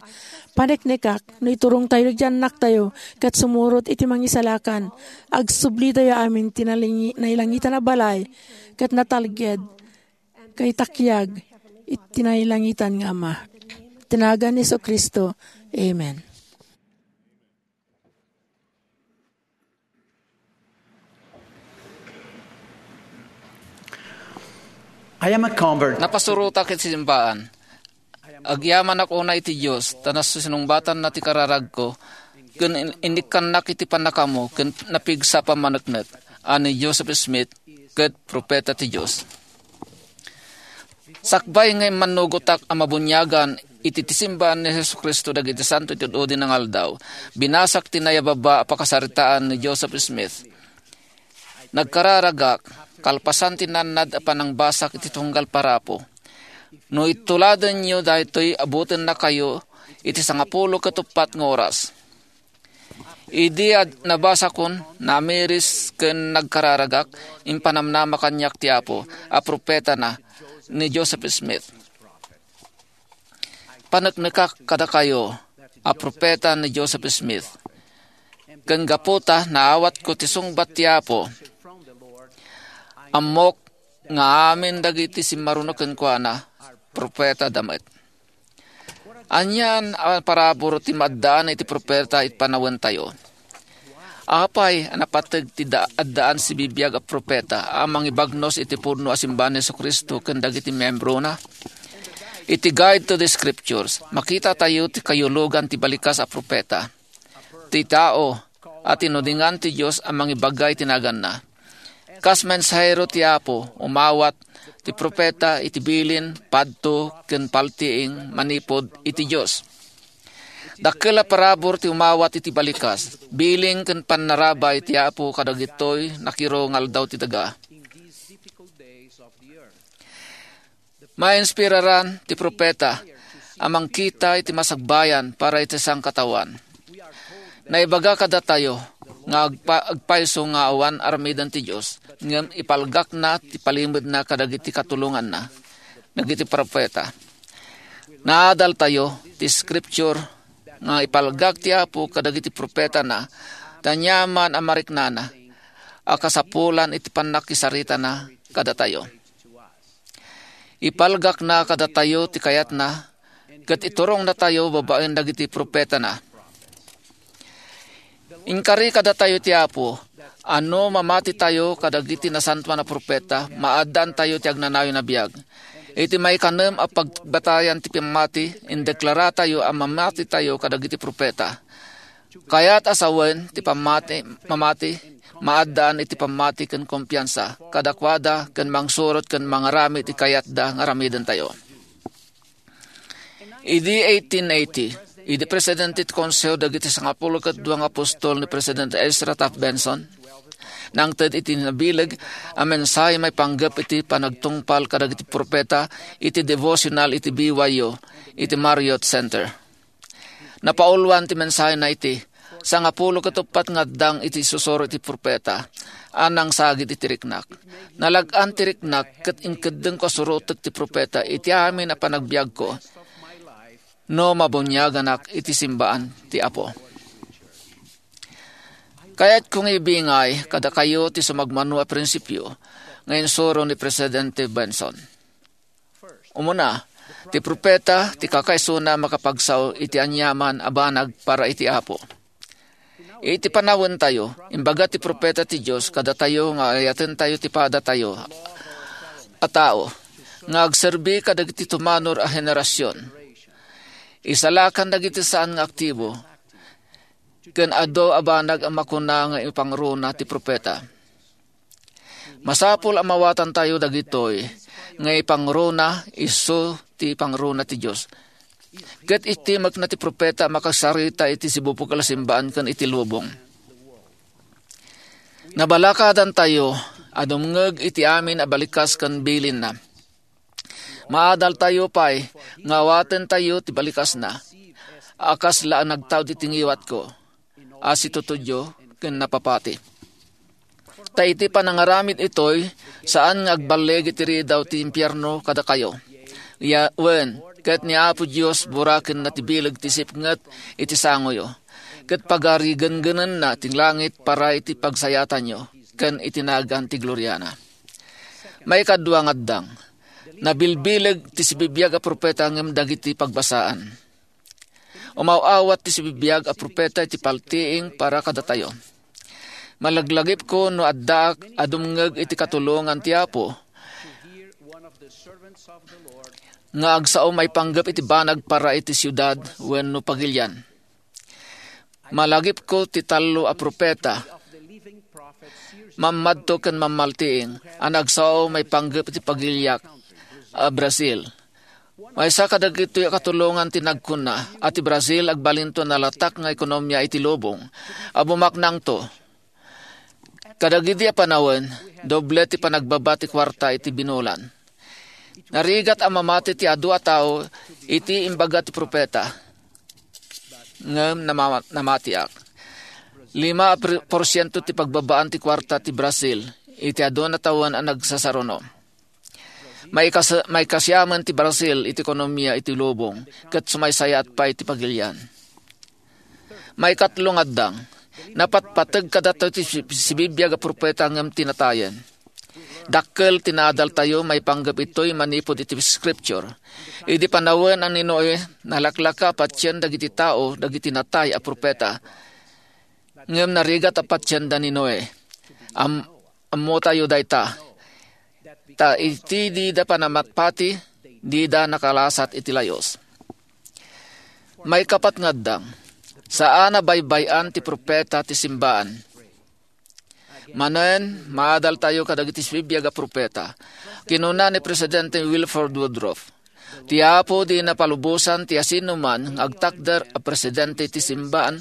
Paneknekak, no iturongtayo dagiti annaktayo ket sumurot iti mangisalakan, agsublitayo amin ti nalingi-, nailangitan a balay ket natalged ken takiag iti nailangitan nga Ama. Ti nagan ni Jesu-Cristo. Amen. I am a convert. Napasurotak iti simbaan. Agyamanak unay iti Dios, ta nasinungbatanna ti kararagko, ken in-, innikkannak iti pannakaammo, ken napigsa a pammaneknek a ni Joseph Smith ket propeta ti Dios. Sakbay nga immannugotak a mabuniagan iti, ti simbaan ni Jesu-Cristo dagiti Santo iti Udi nga Aldaw, binasak ti nayababa a pakasaritaan ni Joseph Smith. Nagkararagak, kalpasan ti nannad a panangbasak iti tunggal parapo. No ituladenyo daytoy, abutennakayo iti sangapulo ket uppat nga oras. Idi ad-, nabasakon, namiris ken nagkararagak, impanamnama kaniak ti Apo a propetana ni Joseph Smith. paneknekak kadakayo a profeta ni Joseph Smith. Ken gapu ta naawatko ti sungbat ti Apo, ammok nga amin dagiti simmaruno kenkuana, profeta da met. Anian a parabur ti maaddaan iti profeta iti panawentayo. Apay a napateg ti da-, addaan sibibiag a profeta a mangibagnos iti pudno a simbahan ni Jesu-Cristo ken dagiti miembrona? Iti Guide to the Scriptures, makita tayo ti kayulugan ti balikas a profeta. Ti tao a tinudingan ti Dios a mangibaga iti naganna. Kas mensahero ti Apo, umawat ti profeta iti bilin, padto, ken paltiing manipud iti Dios. Dakkel a parabur ti umawat iti balikas, bilin ken pannarabay ti Apo kadagitoy nakiro nga aldaw ti daga. Mainspiraran ti profeta a mangkita iti masagbayan para iti sangkataoan. Naibaga kadatayo nga agpa-, agpayso nga awan aramiden ti Dios, ngem ipalgakna ti palimedna kadagiti katulonganna dagiti profeta. Naadaltayo ti scripture nga ipalgak ti Apo kadagiti profetana, ta aniaman a mariknana a kasapulan iti pannakisaritana kadatayo. Ipalgakna kadatayo ti kayatna, ket iturongnatayo babaen dagiti profetana. Inkari kadatayo ti Apo a no mamatitayo kadagiti nasantoan a profeta, maaddaantayo ti agnanayon a biag. Iti maikanem a pagbatayan ti pammati, indeklaratayo a mamatitayo kadagiti profeta. Kayat a sawen ti pammati, mamati, maaddaan iti pammati ken kumpiansa kadakuada ken mangsurot ken mangaramid ti kayatda nga aramidentayo. Idi eighteen eighty, idi presidente ti Konseho dagiti Sangapulo ket Dua nga Apostol ni President Ezra Taft Benson, nangted iti nabileg a mensahe maipanggep iti panagtungpal kadagiti profeta iti devotional iti B Y U iti Marriott Center. Napauluan ti mensahena iti sangapulo ket uppat nga addang iti isusuro iti profeta a nangsagid iti riknak. Nalag-an ti riknak ket inkeddengko a surotek ti profeta iti amin a panagbiagko no mabuniaganak iti simbaan ti Apo. Kayatko nga ibingay kadakayo ti sumagmamano a prinsipio nga insuro ni Presidente Benson. Umuna, ti profeta ti kakaisuna a makapagsao iti aniaman a banag para iti Apo. Iti panawentayo, imbaga ti profeta ti Dios kadatayo nga ayatentayo ti padatayo a tao nga agserbi kadagiti tumanor a henerasion. Isalakan dagiti saan nga aktibo ken adu a banag a makuna nga ipangruna ti profeta. Masapul a mawatantayo dagitoy nga ipangruna isu ti pangruna ti Dios. Ket itimekna ti profeta a makasarita iti sibubukel a simbaan ken iti lubong. Nabalakadantayo a dumngeg iti amin a balikas ken bilinna. Maadaltayo pay nga awatentayo ti balikasna a kasla a nagtaud iti ngiwatko a situtudyo ken napapati. Ta iti panangaramid itoy, saan nga agballeg iti ridaw ti impierno kadakayo. Ya, wen, ket ni Apo Dios burakenna ti bileg ti sipnget iti sangoyo, ket pagarigengenenna ti langit para iti pagsayatanyo ken iti nagan ti gloriana. Maikadua nga addang, nabilbileg ti sibibiag a profeta ngem dagiti pagbasaan. Umaw-awat ti sibibiag a profeta iti paltiing para kadatayo. Malaglagipko no addaak a dumngeg iti katulongan ti Apo nga agsao maipanggep iti banag para iti siudad wenno pagilian. Malagipko ti tallo a profeta, mammadto ken mammaltiing a nagsao maipanggep iti pagiliak a Brazil. Maysa kadagitoy a katulongan ti nagkunna a ti Brazil agbalinto a nalatak nga ekonomia iti lubong a bumaknangto. Kadagidi a panawen, doble ti panagbaba ti kuarta iti binulan. Narigat a mamati ti adu a tao iti imbaga ti profeta, ngem nama-, namatiak. Lima a per-, porsiento ti pagbabaan ti kuarta ti Brazil iti adu a tawen a nagsasaruno. Maikas-, maikasiamen ti Brazil iti ekonomia iti lubong, ket sumaysayaat pay ti pagilian. Maikatlo nga addang, napatpateg kadatayo ti si-, sibibiag a profeta ngem ti natayen. Dakkel ti naadaltayo maipanggep itoy manipud iti Scripture. Idi panawen a ni Noe, nalaklaka a patien dagiti tao dagiti natay a profeta. Ngem narigat a patienda ni Noe. Am-, ammotayo dayta. Ta iti dida panamatpati, dida nakalasat iti layus. Maikapat nga addang, saan a baybay-an ti profeta ti simbaan. Manen, maadaltayo kadagiti sibibiag a profeta. Kinuna ni Presidente Wilford Woodruff, "Ti Apo dina palubosan ti asinoman nga agtakder a presidente ti simbaan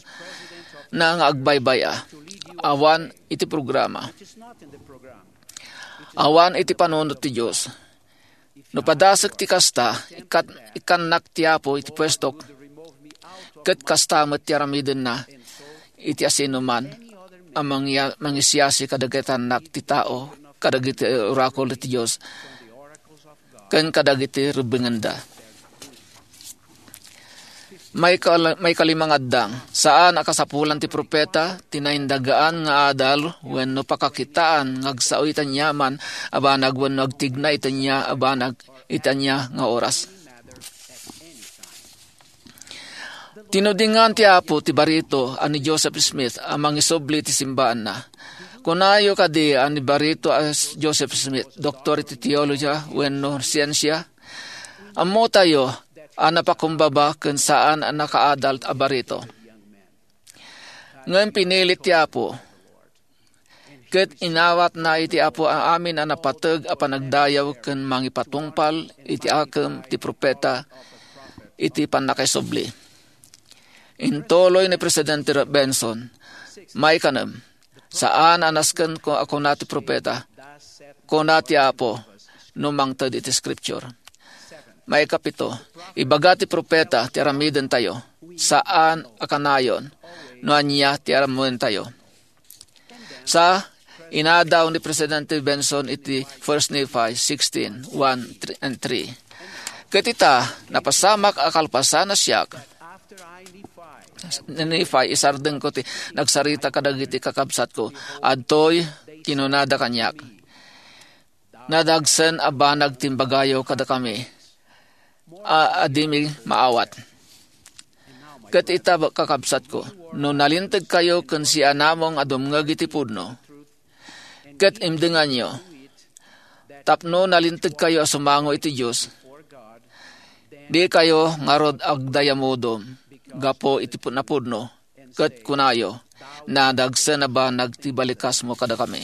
na nga agbaybay-a, awan iti programa, awan iti panunot ti Dios." No padasek ti kasta, ikkat-, ikkannak ti Apo iti puestok, ket kasta met ti aramidenna iti asinoman a mangia-, mangisiasi kadagiti annak ti tao, kadagiti orakul ti Dios, ken kadagiti rebbengenda. Maikal-, maikalima nga addang, saan a kasapulan ti profeta ti naindagaan nga adal wenno pakakitaan nga agsao iti aniaman a banag wenno agtigna iti ania a banag iti ania nga oras. Tinudingan ti Apo ti barito a ni Joseph Smith a mangisubli ti simbaanna. Kunayo kadi a ni barito a Joseph Smith, doktor iti teologia wenno siensia? Ammotayo a napakumbaba ken saan a nakaadal a barito. Ngem pinilit ti Apo, ket inawatna iti Apo a amin a napateg a panagdayaw ken mangipatungpal iti akem ti profeta iti pannakaisubli. Intuloy ni Presidente Benson, maikanem, saan a nasken ko a kuna ti profeta, kuna ti Apo, no mangted iti Scripture. Maikapito, ibaga ti profeta ti aramidentayo, saan a kanayon no ania ti aramidentayo. Sa, inadaw ni Presidente Benson iti First Nephi sixteen, one and three. Ket ita, napasamak a kalpasan a siak, ni Nephi, isardengko ti nagsarita kadagiti kakabsatko. Adtoy, kinunada kaniak, "Nadagsen a banag ti imbagayo kadakami a, a dimi maawat." Ket ita, kakabsatko, no nalintegkayo ken sianamong a dumngeg iti pudno, ket imdenganyo, tapno nalintegkayo a sumango iti Dios, dikayo ngarud agdayamudom gapu iti pu-, napudno, ket kunayo, "Nadagsen a banag ti balikasmo kadakami."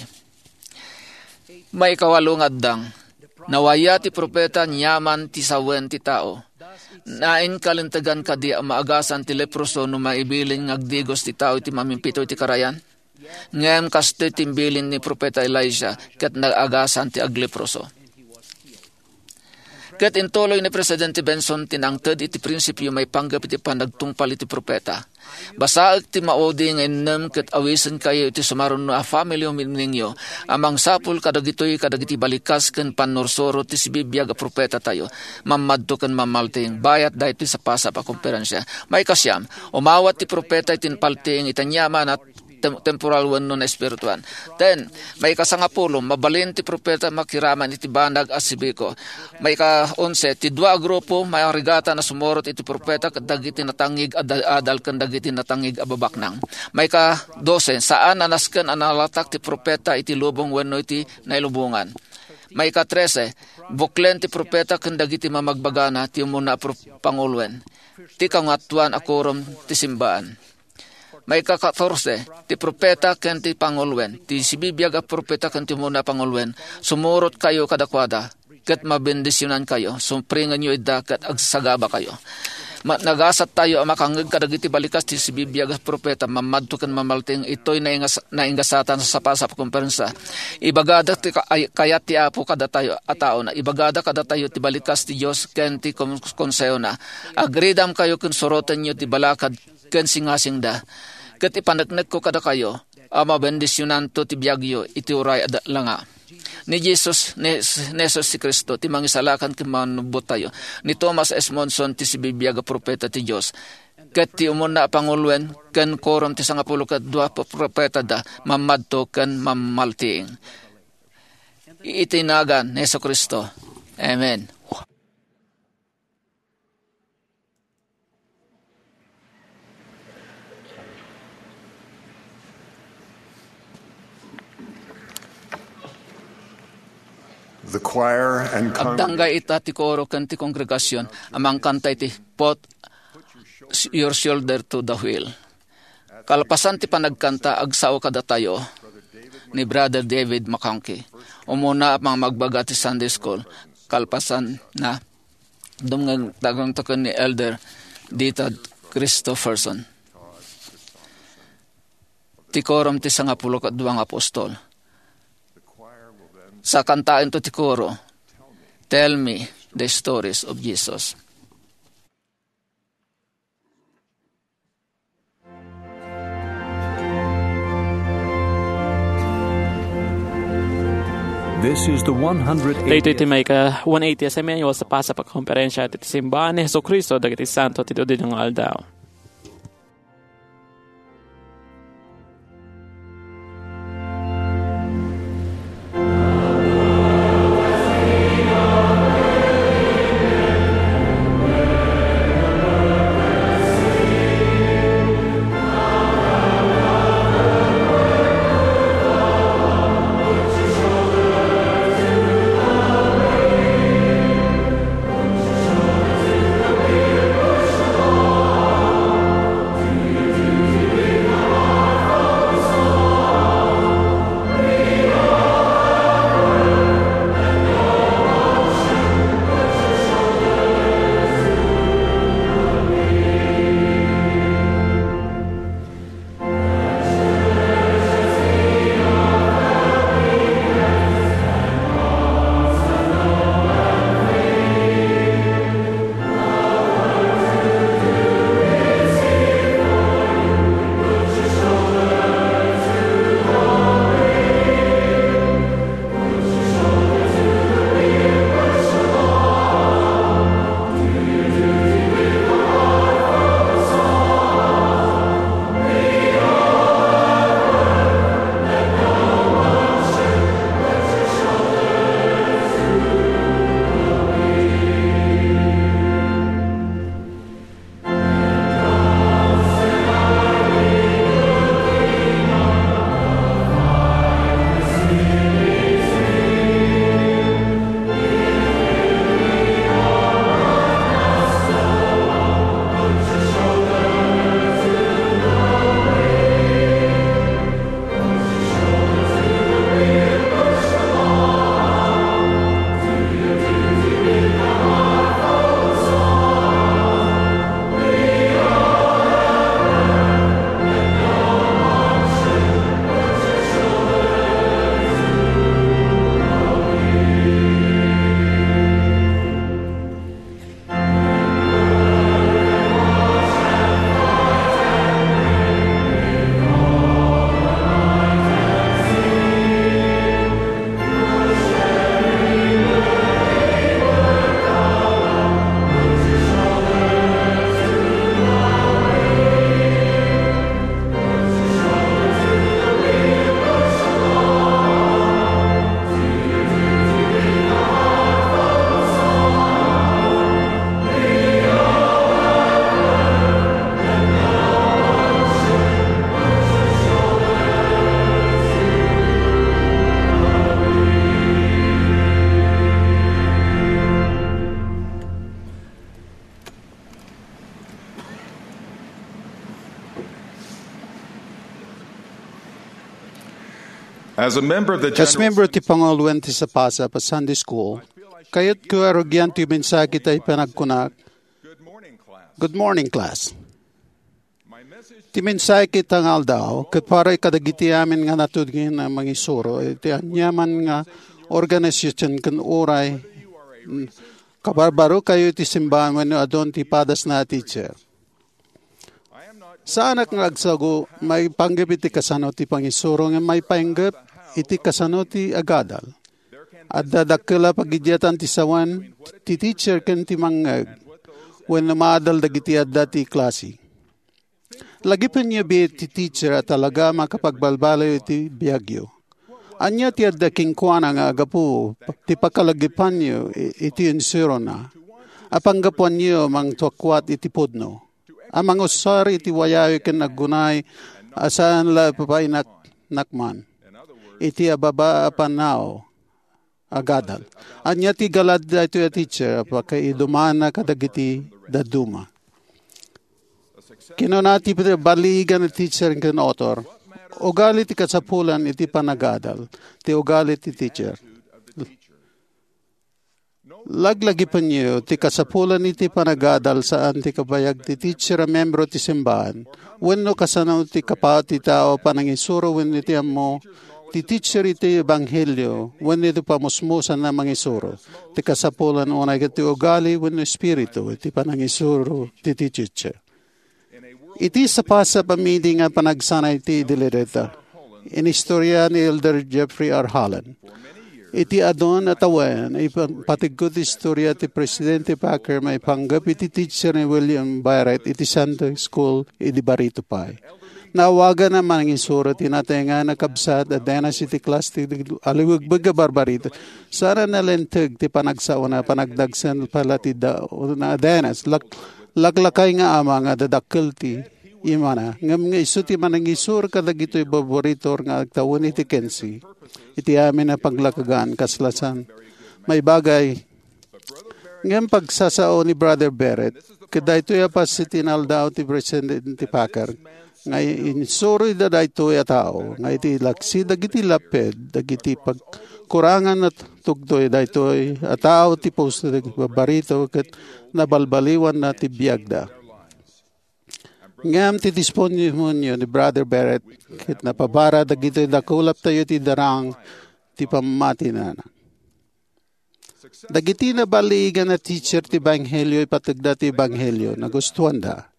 Maikawalo nga addang, nawaya ti profeta aniaman ti sawen ti tao. Nainkalintegan kadi a maagasan ti leproso no maibilin nga agdigos ti tao iti mamimpito iti karayan? Ngem kastoy ti imbilin ni Profeta Elijah ket naagasan ti agleproso. Ket intuloy ni Presidente Benson ti nangted iti prinsipio maipanggep iti panagtungpal iti profeta. Basaek ti maudi nga innem ket awisenkayo iti sumaruno a family meetingyo a mangsapul kadagitoy kadagiti balikas ken pannursuro ti sibibiag a profetatayo. Mammadto ken mamalting bayat daytoy sapasap a konferensia. Maikasiam, umawat ti profeta iti paltiing iti aniaman a tem-, temporal wenno naespirituan. Ten, maikasangapulo, mabalin ti profeta makiraman iti banag a sibiko. Maika-onse, ti dua a grupo, mairigatan a sumurot iti profeta ket dagiti natangig a da-, adal ken dagiti natangig a babaknang. Maika-dose, saan a nasken a nalatak ti profeta iti lubong wenno iti nailubongan. Maika-trese, buklen ti profeta ken dagiti mamagbagana ti umuna a pro-, panguloen ti Kangatoan a Korom ti Simbaan. Maika-katorse, ti profeta ken ti panguloen, ti sibibiag a profeta ken ti umuna a panguloen, sumurotkayo kadakuada, ket mabendisionankayo, sumpringenyo ida ket agsagabakayo. Ma-, nagasattayo a makangngeg kadagiti balikas ti sibibiag a profeta, mammadto ken mamalting itoy naingas-, naingasatan a sapasap a konferensia. Ibagada ti ka-, ay, kayat ti Apo kadatayo a taona. Ibagada kadatayo ti balikas ti Dios ken ti kon-, konsehona. Agridamkayo ken surotenyo ti balakad ken singasingda. Ket ipaneknekko kadakayo a mabendisionanto ti biagyo iti uray a da-, langa. Ni Jesus, ni, ni Jesus Cristo, ti Mangisalakan ken Mannubottayo. Ni Thomas S. Monson, ti sibibiag a profeta ti Dios. Ket ti umuna a panguloen ken korom ti sangapulo ket dua a profetada, mammadto ken mammaltiing. Iti nagan ni Jesu-Cristo. Amen. The choir and Agdanggay ita ti koro ken ti kongregasion a mangkanta iti Put Your Shoulder to the Wheel. Kalpasan ti panagkanta, agsao kadatayo ni Brother David McConkie, umuna a pangmagbaga ti Sunday School. Kalpasan na, dumngeg tayo ken ni Elder Dita Christopherson, ti korom ti sangapulo ket dua nga apostol. Sa kantaento ti koro, "Tell Me the Stories of Jesus." This is the one hundred eightieth. Daytoy ti maika one eighty a semiannual sa pasap a konferensya ti Simbaan ni Jesu-Cristo dagiti Santo ti Dudino nga Aldaw. As a member of the Kas General membro ti panguloen ti sapasap a Sunday School, kayatko a rugian ti mensahe ita a panagkunak, "Good morning, class." Ti mensahe ita nga aldaw, ket para kadagiti amin nga natudngen a mangisuro iti aniaman nga organisasion ken uray, mm, kabarbarokayo iti simbaan wenno adun ti padasna a teacher. Saanak nga agsagu maipanggep iti kasano ti pangisuro nga maipanggep iti kasano ti agadal. Adda dakkel a pagidiatan ti sawen ti teacher ken ti mangngeg wenno maadal dagiti adda ti klase. Lagipenyo biit ti teacher a talaga a makapagbalbaliw iti biagyo. Ania ti adda kenkuana nga agapu ti pakalagipanyo i-, iti insurona? A panggapuanyo mangtuakuat iti pudno, a mangusar iti wayayo ken aggunay a saan la papainaknakman iti ababa a pannao a gadal. Ania ti galad daytoy a teacher a pakaidumanna kadagiti dadduma? Kinuna ti balligan a teacher ken author, "Ugali ti kasapulan iti panagadal ti ugali ti teacher." Laglagipenyo ti kasapulan iti panagadal saan ti kabayag ti teacher a membro ti simbahan wenno kasano ti kapaut ti tao panangisuro wenno ti ammo ti teacher iti ebanghelio wenno iti pamusmusan a mangisuro. Ti kasapulan unay ket ti ugali wenno espiritu iti panangisuro ti teacher. Iti sapasap a meeting a panagsanay ti Deliverance, inistorya ni Elder Jeffrey R. Holland. Iti adun a tawen, ipategko ti istorya ti Presidente Packer maipanggep iti teacher ni William Barrett iti Sunday School idi barito pay. Naawagan a mangisuro ti natengnga a kabsat a denas iti klas ti aliwegbeg a barbarito. Saan a nalinteg ti panagsaona, panagdagsen pay la ti daona a denas. Lak-, laklakay nga ama nga dadakkel ti imana, ngem nga isu ti manangisuro kadagitoy barbarito nga agtawen iti kinse iti amin a paglakagan kasla saan maibagay. Ngem pagsasao ni Brother Barrett, ket daytoy a paset ti inaldaw ti Presidente Packer, nga insuro ida daytoy a tao, nga iti laksi dagiti laped, dagiti pagkurangan a tugtoy daytoy a tao ti puso dagiti barbarito ket nabalbaliwanna ti biagda. Ngem ti testimonio ni Brother Barrett ket napabara dagitoy dakulaptayo ti darang ti pammatinana. Dagiti naballiigan a teacher ti Ebanghelio, ipategda ti Ebanghelio, nagustuanda.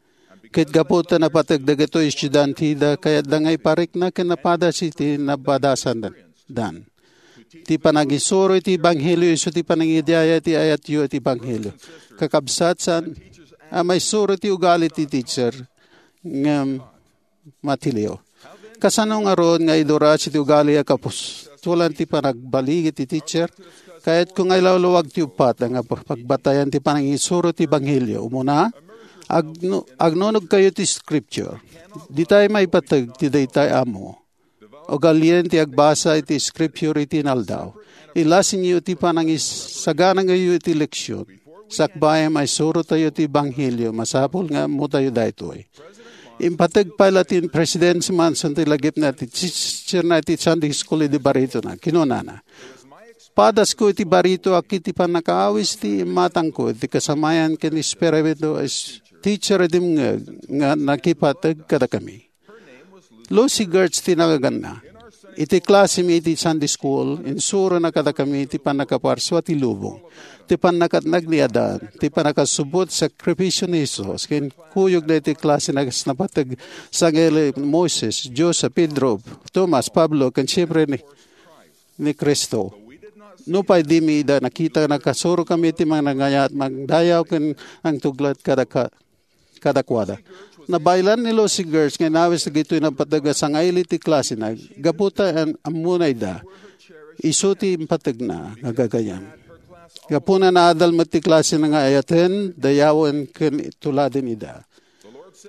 Ket gapu ta napateg dagitoy estudianteda, kayatda nga iparikna ken napadas iti napadasandan. Ti panangisuro iti Ebanghelio isu ti panangidiaya iti ayatyo iti Ebanghelio. Kakabsat, saan a maisuro ti ugali ti teacher, ngem matiliw. Kasano ngarud nga iduras iti ugali a kapustolan ti panagbaligi ti teacher? Kayatko nga ilawlawag ti uppat nga pagbatayan ti panangisuro ti Ebanghelio. Umuna, agnu-, agnunogkayo ti Scripture. Ditay maipateg ti daytay ammo. Ugalien ti agbasa iti Scripture iti inaldaw. Ilasinyo ti panangisaganangayo iti leksion. Sakbay a maisurotayo ti Ebanghelio, masapul nga ammotayo daytoy. Impateg pay la ti President Monson ti lagipna ti teacherna iti Sunday School idi baritona. Kinunana, "Padasko iti barito a ket ti pannakaawis ti imatangko iti kasamayan ken espiritu a s-, teacher a dimngeg nga nakipateg kadakami." Lucy Gertz ti naganna. Iti klasemi iti Sunday School, insurona kadakami ti pannakaparsua ti lubong, ti pannakatnag ni Adan, ti pannakasubot sakripisio ni Jesus, ken kuyogna iti klasena kas napateg sangili Moises, Jose, Pedro, Tomas, Pablo, ken siempre ni, ni Cristo. Nupay dimi ida nakita, nakasurokami ti manangayat, mangdayaw, ken nangtuglat kadaka-, kadakuada. Nabaylan ni Lucy Gertz nga inawis dagitoy napateg a sangili ti klasena gapu ta an-, ammona ida. Isu ti impategna nga gagayyem. Gapuna, naadal met ti klasena nga ayaten, dayawen, ken tuladen ida.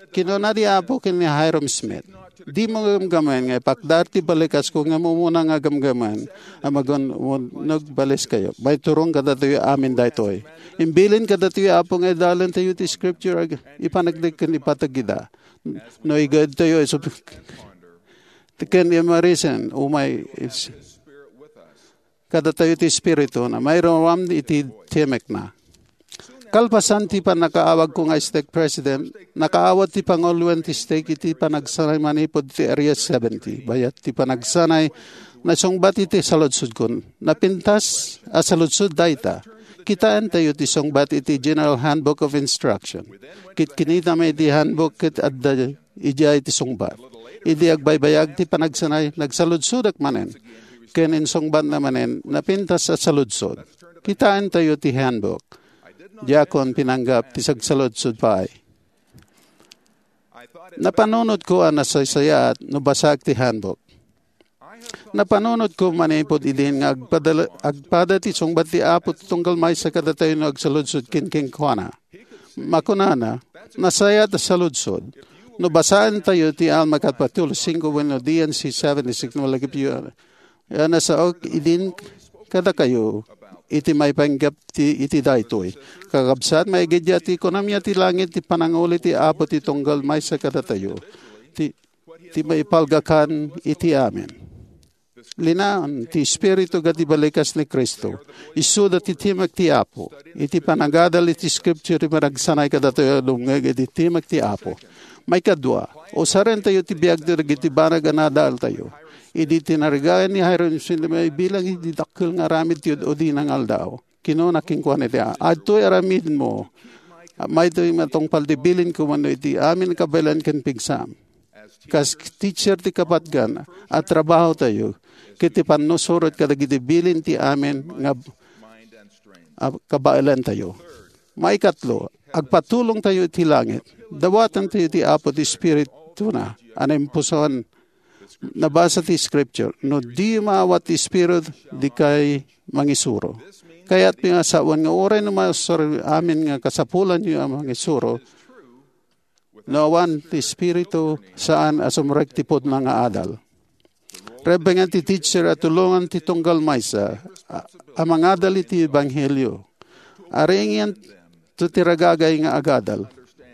Kinuna ti Apo ken ni Hyrum Smith, "Dimo gamgamen nga ipakdaak ti balikasko ngem umuna nga gamgamen a magun-, magunnog baliskayo. Maiturong kadatayo amin daytoy." Imbilin kadatayo, Apo, nga idalentayo ti Scripture, ag-, ipanagdek ken ipateg ida. No igedtayo isu-, ken imarisen, umay is-, kadatayo ti Espiritu na mairuram iti timekna. Kalpasan ti pannakaawagko nga stake president, nakaawat ti panguloen ti stake iti panagsanay manipud ti Area seventy. Bayat ti panagsanay, nasungbat iti saludsodkon. Napintas a saludsod dayta. Kitaentayo ti sungbat iti General Handbook of Instruction. Ket kinitami iti handbook ket adda idiay ti sungbat. Idi agbaybayag ti panagsanay, nagsaludsodak manen. ken insungbatna manen napintas a saludsod. Kitaentayo ti handbook. Diakon pinanggap ti sagsaludsod pay. Napanunotko a nasaysayaat no basaek ti handbook. Napanunotko manipud idin nga agpadala-, agpada ti sungbat ti Apo ti tunggal maysa kadatayo no agsaludsod ken kenkuana. Makunana, nasayaat a saludsod. No basaentayo ti Alma kapitulo singko wenno D N C seventy-six no malagipyo, a nasaok idin kadakayo iti maipanggep ti, iti daytoy. Kakabsat, maigidya ti ekonomia ti langit ti pananguli ti Apo ti tunggal maysa kadatayo. Ti, ti maipalgakan iti amin. Linaon ti Espiritu nga ti balikas ni Cristo. Isuda ti timek ti Apo. Iti panagadal iti Scripture, ti panagsanay kadatayo a dumngeg iti timek ti Apo. Maikadua, usarentayo ti biag dagiti banag a nadaltayo. Idi tinargayan ni Hyrum, sino maibilang iti dakkel nga aramid ti ud-udina nga aldaw? Kinuna kenkuana iti, "Adtoy aramidmo. Maytoy matungpal ti bilinko wenno iti amin a kabaelan ken pigsam." Kas teacher ti kapatgan, a trabaho tayo, ket ti pannusurot kadagiti bilin ti amin nga, a kabaelan tayo. Maikatlo, agpatulong tayo iti langit. Dawaten tayo ti Apo ti Espirituna, a naimpusuan. Nabasa ti Scripture, "No di maawat ti Espiritu, dikay mangisuro." Kayat nga sawen nga uray no mausar amin nga kasapulanyo a mangisuro, no awan ti Espiritu, saan a sumrek ti pudno nga adal. Rebbeng ti teacher a tulongan ti tunggal maysa a, a mangadal iti ebanghelio. Aringan to ti ragagay nga agadal,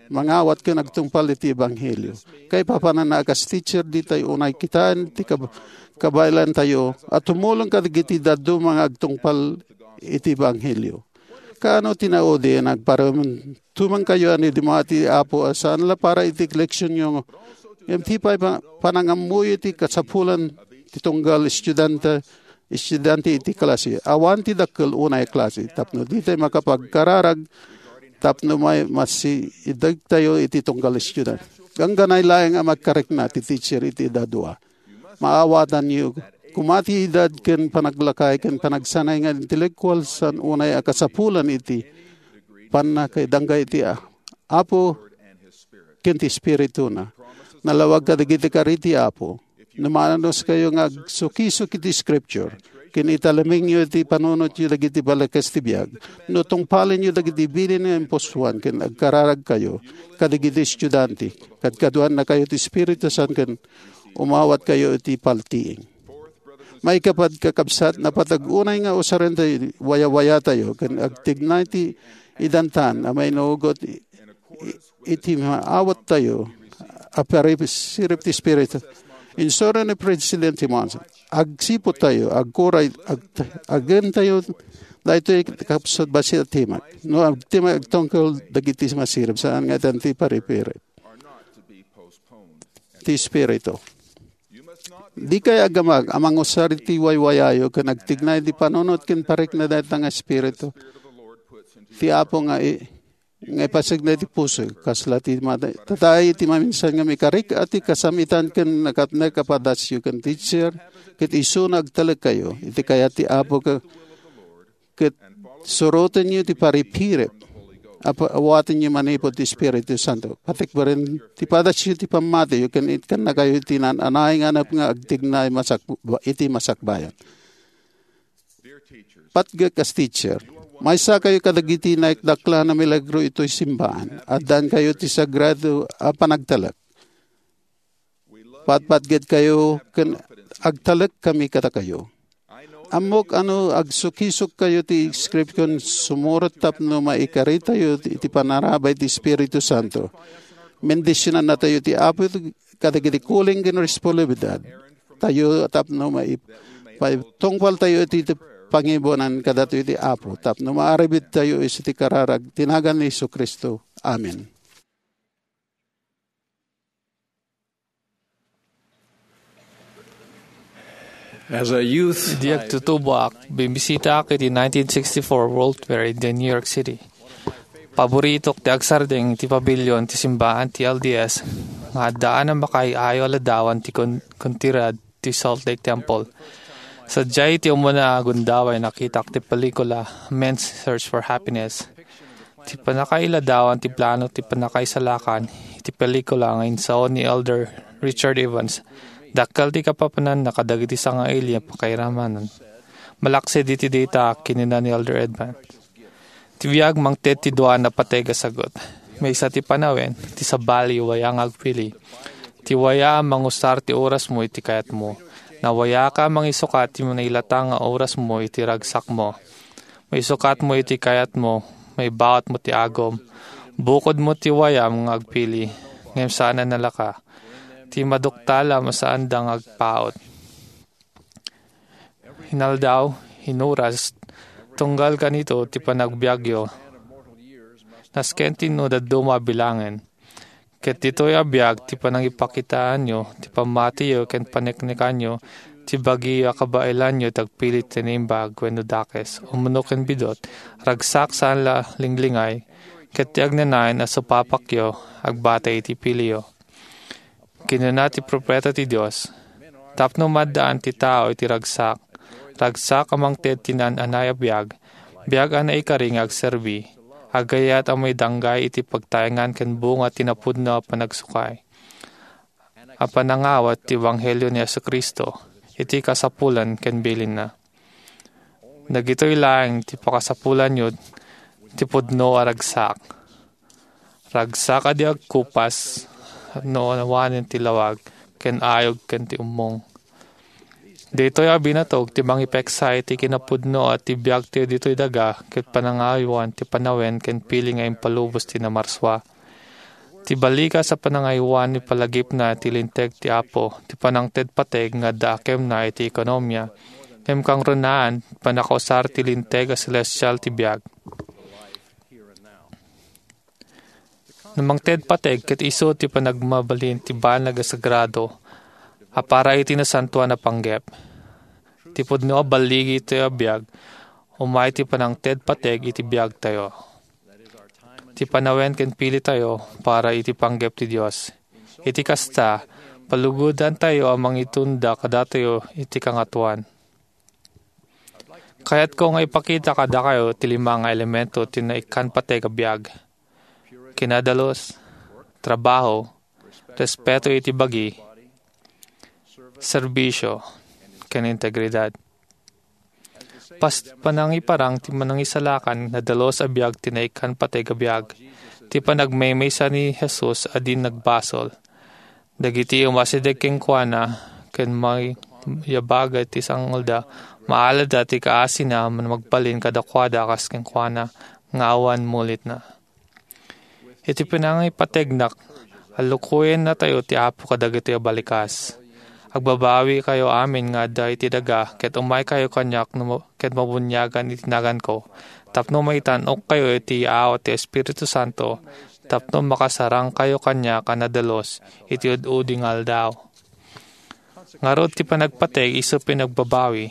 mangawat ken agtungpal iti ebanghelio. Kaipapanana a kas teacher, ditay unay kitaen ti kab-, kabaelantayo a tumulong kadagiti dadduma nga agtungpal iti ebanghelio. Kaano ti naudi nga agparamtumankayo a ni Dima ti Apo a saan la para iti koleksionyo? Ngem ti pay pa-, panangammoyo ti kasapulan ti tunggal estudiante, estudiante iti klase. Awan ti dakkel unay a klase tapno ditay makapagkararag tapno may masiidegtayo iti tunggal estudiante. Gangganay laeng a magkarikna ti teacher iti edad dua. Maawatanyo koma ti edad ken panaglakay ken panagsanay nga intelektual saan unay a kasapulan iti pannakaidanggay iti a-, Apo ken ti Espirituna. Nalawag kadagiti kari ti Apo. No maanuskayo nga agsukisok iti Scripture, ken italimingyo iti panunotyo dagiti balikas ti biag, no tungpalenyo dagiti bilin nga impusuan ken agkararagkayo kadagiti estudiante, kadkaduannakayo ti Espiritu Santo ken umawatkayo iti paltiing. Maikapad, kakabsat, napatag unay nga usaren ti wayawayatayo ken agtignay ti idantan a mainugot i-, iti maawattayo a parisirib ti Espiritu. Insuro ni Presidente Monson, "Agsipud tayo, agkuray, ag-, agentayo daytoy kapsut bassit a timek. No agtimek agtungkol dagiti masirib, saan nga itan ti paripirib ti Espiritu." Dikay agamag a mangusar iti waywayayo ken agtignay ti panunot ken parikna dayta nga Espiritu ti Apo nga i-, nga ipasig daydi puso, kasla ti mata-, tatay iti maminsan nga mikarik a ti kasamitan ken nakatnek a padasyo ken teacher, ket isuna agtalekkayo iti kayat ti Apo ke-, ket surotenyo ti paripirib a pa-, awatenyo manipud ti Espiritu Santo. Patikberen ti padasyo ti pammatiyo ken itkannakayo iti naan-anay nga anep nga agtignay masak-, iti masakbayan. Patgek as teacher, maysakayo kadagiti naikdaklan a milagro itoy simbaan. Addankayo ti sagrado a panagtalek. Patpatgedkayo ken agtalek kami kadakayo. Ammok a no agsukisokkayo ti script ken sumurot tapno maikaritayo ti, iti panarabay ti Espiritu Santo. Bendisionannatayo ti Apo kadagiti kuling ken responsibilidad tayo tapno mai-, paitungpaltayo iti, iti pangibuanan kadatayo ti Apo tapno maaribidtayo iti kararag ti nagan ni Jesu-Cristo. Amen. As a youth, Idi agtutuboak, bimbisitaak iti nineteen sixty-four World Fair iti New York City. Paboritok ti agsardeng iti pavilion ti simbaan ti L D S nga addaan a makaay-ayo a ladawan ti kon-, kontinuidad ti Salt Lake Temple. Sadiay iti umuna a gundaway, nakitak ti pelikula Men's Search for Happiness. Ti pannakailadawan ti plano ti pannakaisalakan iti pelikula nga insaon ni Elder Richard Evans. Dakkel ti kapapananna kadagiti sangaili a pakairamanan. Malaksid iti dayta, kinuna ni Elder Evans, ti biag mangted ti dua a napateg a sagut. Maysa ti panawen, ti sabali, waya nga agpili. Ti waya a mangusar ti orasmo iti kayatmo. Nawayaka a mangisukat ti nailatang nga orasmo iti ragsakmo. Maisukatmo iti kayatmo, maibautmo ti agum. Bukodmo ti wayam nga agpili, ngem saan a nalaka. Ti maduktalam a saanda nga agpaut. Inaldaw, inuras, tunggal kanito ti panagbiagyo. Nasken ti no dadduma a bilangen. Ket ditoy a biag ti panangipakitaanyo ti pammatiyo ken paneknekanyo ti bagi a kabaelanyo ti agpili ti naimbag wenno dakes, umno ken bidot, ragsak saan la linglingay, ket ti agnanayon a supapakyo agbatay iti piliyo. Kinuna ti profeta ti Dios, tapno maaddaan ti tao iti ragsak, ragsak a mangted ti naan-anay a biag, biag a naikari nga agserbi, agayat a maidanggay iti pagtaengan ken bunga ti napudno a panagsukay, a panangawat ti ebanghelio ni Jesu-Cristo iti kasapulan ken bilinna. Dagitoy laeng ti pakasapulanyo ti pudno a ragsak. Ragsak a di agkupas no awanen ti lawag ken ayog ken ti ummong. Daytoy a binatog ti mangipeksa iti kinapudno a ti biagtayo ditoy daga ket panangayowan ti panawen ken pili nga impalubos ti namarsua. Ti balikas a panangayowan ni palagipna ti linteg ti Apo, ti panangted pateg nga adda akemna iti ekonomia, ngem kangrunaan, panakausar ti linteg a selestial ti biag. No mangted pateg ket isu ti panagmabalin ti banag a sagrado a para iti nasantoan a panggep. Ti pudno a balligi iti biag, umay ti panangted pateg iti biagtayo. Ti panawen ken pilitayo para iti panggep ti Dios. Iti kasta, palugodantayo a mangitunda kadatayo iti Kangatoan. Kayatko nga ipakita kadakayo ti lima nga elemento ti naikkan pateg a biag: kinadalus, trabaho, respeto iti bagi, serbisio, ken integridad. Pas panangiparang ti Manangisalakan, nadalus a biag ti naikkan pateg a biag, ti panagmaymaysa ni Jesus a di nagbasol. Dagiti umasideg kenkuana ken mangiyabaga ti sangolda, maaladda ti kaasina a magbalin kadakuada kas kenkuana nga awan mulitna. Iti panangipategnak, allukoyennatayo ti Apo kadagitoy a balikas. Agbabawikayo amin nga adda iti daga, ket umaykayo kaniak no, ket mabuniagan iti naganko, tapno maitan-okkayo iti yaat ti Espiritu Santo, tapno makasarangkayo kaniak a nadalus iti ud-udi nga aldaw. Ngarud, ti panagpateg isu panagbabawi.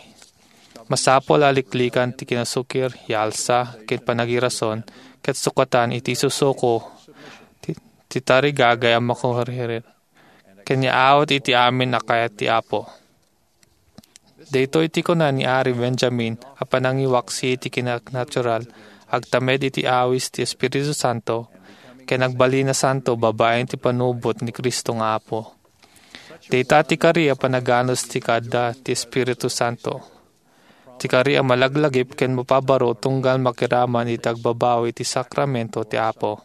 Masapul a liklikan ti kinasukir, yalsa, ken panagirason, ket sukatan iti susuko ti, ti tarigagay a makuririr, ken yaawat iti amin a kayat ti Apo. Daytoy ti kuna ni Ari Benjamin a panangiwaksi iti kinanatural, agtamed iti awis ti Espiritu Santo, ken agbalin a santo babaen ti panubot ni Cristo nga Apo. Dayta ti kari a panaganus ti kaadda ti Espiritu Santo. Ti kari a malaglagip ken mapabaro tunggal makiraman iti agbabawi ti sakramento ti Apo.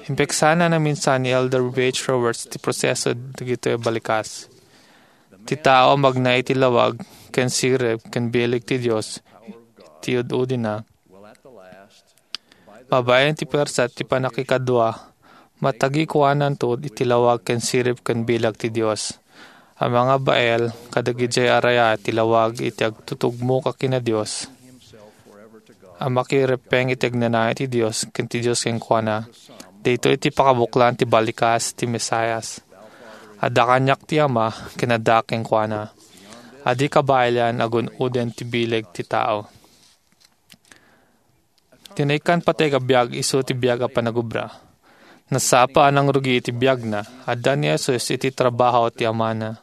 Impeksana naminsan ni Elder H. Roberts ti proseso dagitoy a balikas. Ti tao a magna iti lawag ken sirib ken bileg ti Dios ti ud-udina. Babaen ti puersa ti pannakikadua, matagikuananto iti lawag ken sirib ken bileg ti Dios. A mangabael kadagidiay a raya ti lawag iti agtutugmo ka ken Dios, a makirepeng iti agnanayon ti Dios ken ti Dios kenkuana. Daytoy ti pakabuklan ti balikas ti Mesias. Adda kaniak ti Ama, ken adda kenkuana. Adi kabaelan a gun-oden ti bileg ti tao. Ti naikkan pateg a biag isu ti biag a panagobra. Nasapa a nangrugi iti biagna. Adda ni Jesus iti trabaho ti Amana.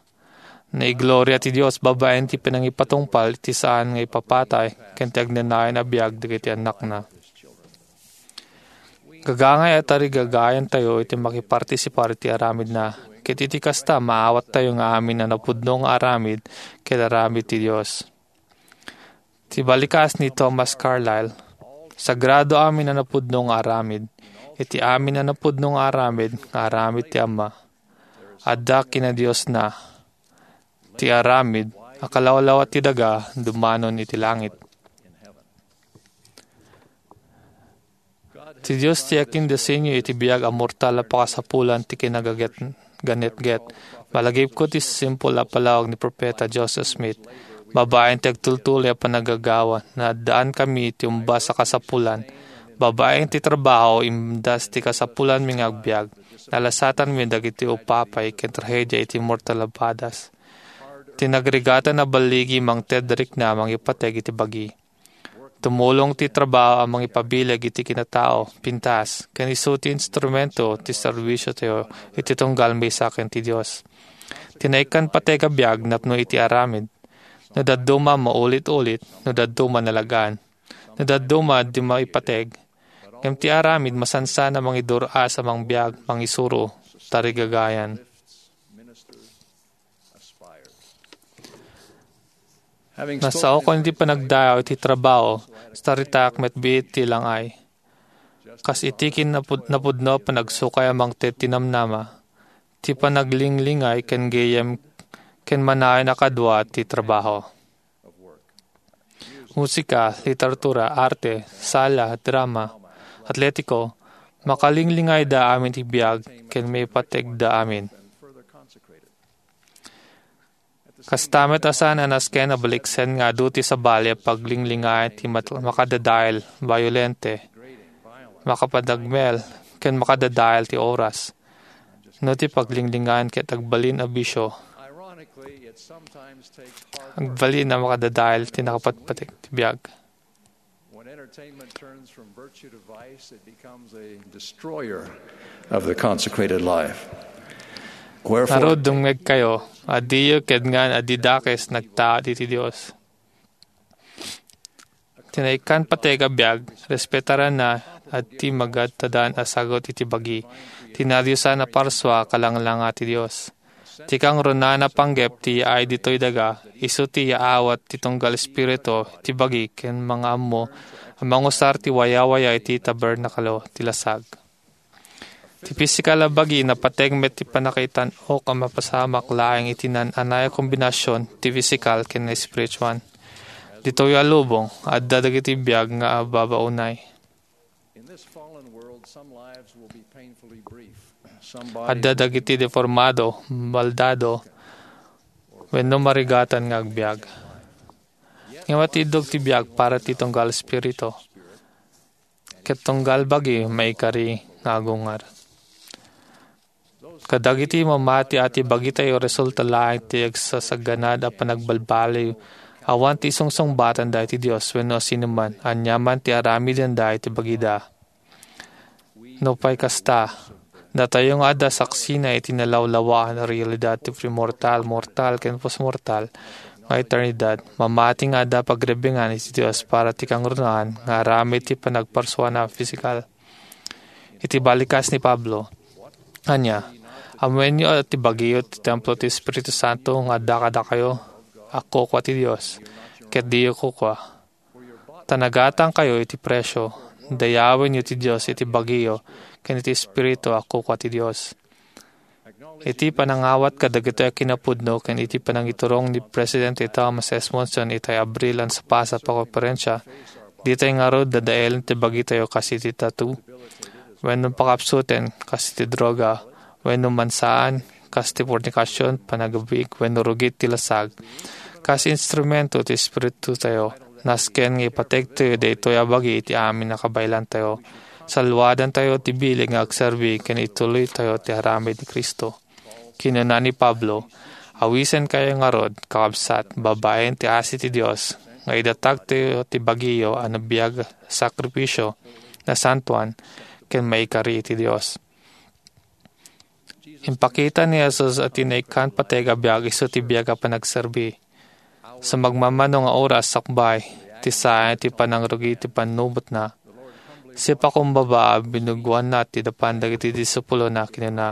Naigloria ti Dios babaen ti panangipatungpal iti saan nga ipapatay ken ti agnanayon a biag dagiti annakna. Gagangay a tarigagayantayo iti makipartisipar iti aramidna, ket iti kasta, maawattayo nga amin a napudno nga aramid ket aramid ti Dios. Ti balikas ni Thomas Carlyle, "Sagrado amin a napudno nga aramid. Iti amin a napudno nga aramid nga aramid ti Ama. Adda kinadiosna. Ti aramid a kalawlawat ti daga dumanon iti langit." Ti Dios ti akindesenyo iti biag a mortal a pakasapulan ti kinagaget-, ganetget. Malagipko ti simpol a palawag ni Propeta Joseph Smith, babaen ti agtultuloy a panagagawa, naaddaan kami ti umbas a kasapulan. Babaen ti trabaho, imdas ti kasapulanmi nga agbiag. Nalasatanmi dagiti upapay ken trahedia iti mortal a badas. Ti nagrigatan a balligi mangted rikna mangipateg iti bagi. Tumulong ti trabaho a mangipabileg iti kinatao, pintas, ken isu ti instrumento ti serbisiotayo iti tunggal maysa ken ti Dios. Ti naikkan pateg a biag napno iti aramid. No dadduma, maulit-ulit, no dadduma, nalagaan. No dadduma, di maipateg. Ngem ti aramid, masansan a mangidur-as a mangbiag, mangisuro, tarigagayan. Nasaokon iti panagdayaw iti trabaho, saritak met biit ti langay. Kas iti kin-, napud-, napudno a panagsukay a mangted ti namnama, ti panaglinglingaw ken gayyem ken manayon a kadua ti trabaho. Musika, literatura, arte, sala, drama, atletiko, makalinglingaw da amin ti biag ken maipategda amin. Kasta met a saan a nasken a baliksen nga adu ti sabali a paglinglingaw ti mat-, makadadael, bayolente, makapanagmel, ken makadadael ti oras. No ti paglinglingaw ket agbalin a bisio, agbalin a makadadael ti nakapatpateg ti biag. When entertainment turns from virtue to vice, it becomes a destroyer of the consecrated life. Wherefore, ngarud, dumngegkayo, a diyo kidngan a di dakes nagtaud iti Dios. Ti naikkan pateg a biag, respetaranna a ti magadtadan a sagut iti bagi. Ti nadiosan a parsua, kalanglanga ti Dios. Ti kangrunaan a panggep ti yaay ditoy daga, isu ti yaawat ti tunggal espiritu ti bagi ken mangaammo a mangusar ti wayawaya iti tabernaklo ti lasag. Ti pisikal a bagi, napateg met ti pannakaitan-ok a mapasamak laeng iti naan-anay a kombinasion ti pisikal ken espirituan. Ditoy a lubong, adda dagiti biag nga ababaonay. In this fallen world, some lives will be painfully brief. Some bodies adda dagiti deformado, baldado, wenno marigatan nga agbiag. Ngem atiddog ti biag para ti tunggal espiritu, ket tunggal bagi maikari nga agungar. Kadagiti mamati a ti bagitayo, resulta laeng ti agsasaganad a panagbalbaliw. Awan ti sungsungbatanda iti Dios wenno sinoman, aniaman ti aramidenda iti bagida. Nupay kasta, datayo nga adda saksina iti nalawlawaan a realidad ti premortal, mortal, ken postmortal nga eternidad, mamati nga adda pagrebbengan iti Dios para ti kangrunaan nga aramid ti panagparsuana a pisikal. Iti balikas ni Pablo, ania, ammoenyo a ti bagiyo ti templo ti Espiritu Santo nga adda kadakayo, a kukua ti Dios, ket diyo kukua. Ta nagatangkayo iti presio, dayawenyo ti Dios iti bagiyo ken iti Espiritu a kukua ti Dios. Iti panangawat kadagitoy a kinapudno ken iti panangiturong ni Presidente Thomas S. Monson itay Abril a nasapasapan a konferensia, ditay ngarud dadaelen ti bagitayo kas iti tattoo, wenno pakapsuten kas iti droga, wenno mansaan kas ti fornikasion, panagabig, wenno rugit ti lasag. Kas instrumento ti Espiritutayo, nasken nga ipategtayo daytoy a bagi iti amin a kabaelantayo. Salluadantayo ti bileg nga agserbi ken ituloytayo ti aramid ni Cristo. Kinuna ni Pablo, "Awisenkayo ngarud, kakabsat, babaen ti asi ti Dios, nga idatagtayo ti bagiyo a nabiag a sakrifisio, nasantoan, ken maikari iti Dios." Impakita ni Jesus a ti naikkan pateg a biag isu ti biag a panagserbi. Sa magmamano nga oras sakbay ti saan ti panangrugi ti pannubotna, sipakumbaba a binugoanna ti dapan dagiti disipulona, kinuna,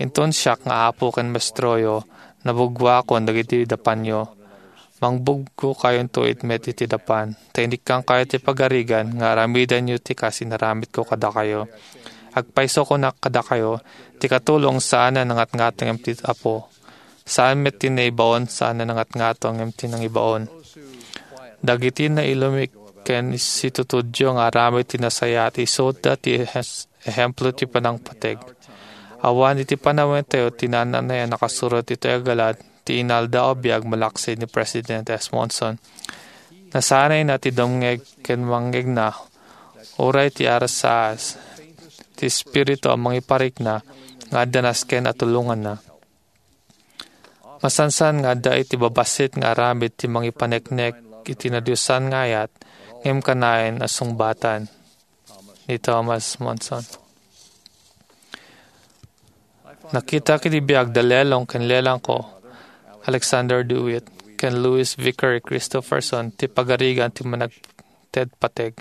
"Inton siak nga Apo ken Maestroyo, nabugoakon dagiti dapanyo. Mangbugokayonto met iti dapan, ta inikkangkayo ti pagarigan nga aramidenyo ti kas inaramidko kadakayo. Agpayso kunak kadakayo, ti katulong saan a nangatngato ngem ti Apo. Saan met ti naibaon saan a nangatngato ngem ti nangibaon." Dagiti nailumik ken situtudyo nga aramid ti nasayaat, isuda ti ehes-, ehemplo ti panangpateg. Awan iti panawentayo ti naan-anay a nakasurot iti agalad ti inaldaw a biag malaksid ni President S. Monson. Nasanayna ti dumngeg ken mangngegna, uray ti arasaas, ti espiritu a mangiparikna nga adda nasken a tulonganna. Masansan nga adda iti babassit nga aramid ti mangipaneknek iti nadiosan nga ayat, ngem kanayon a sungbatan ni Thomas Monson. Nakitak iti biag da lelong ken lelangko, Alexander DeWitt, ken Louis Vickery Christopherson ti pagarigan ti managted pateg.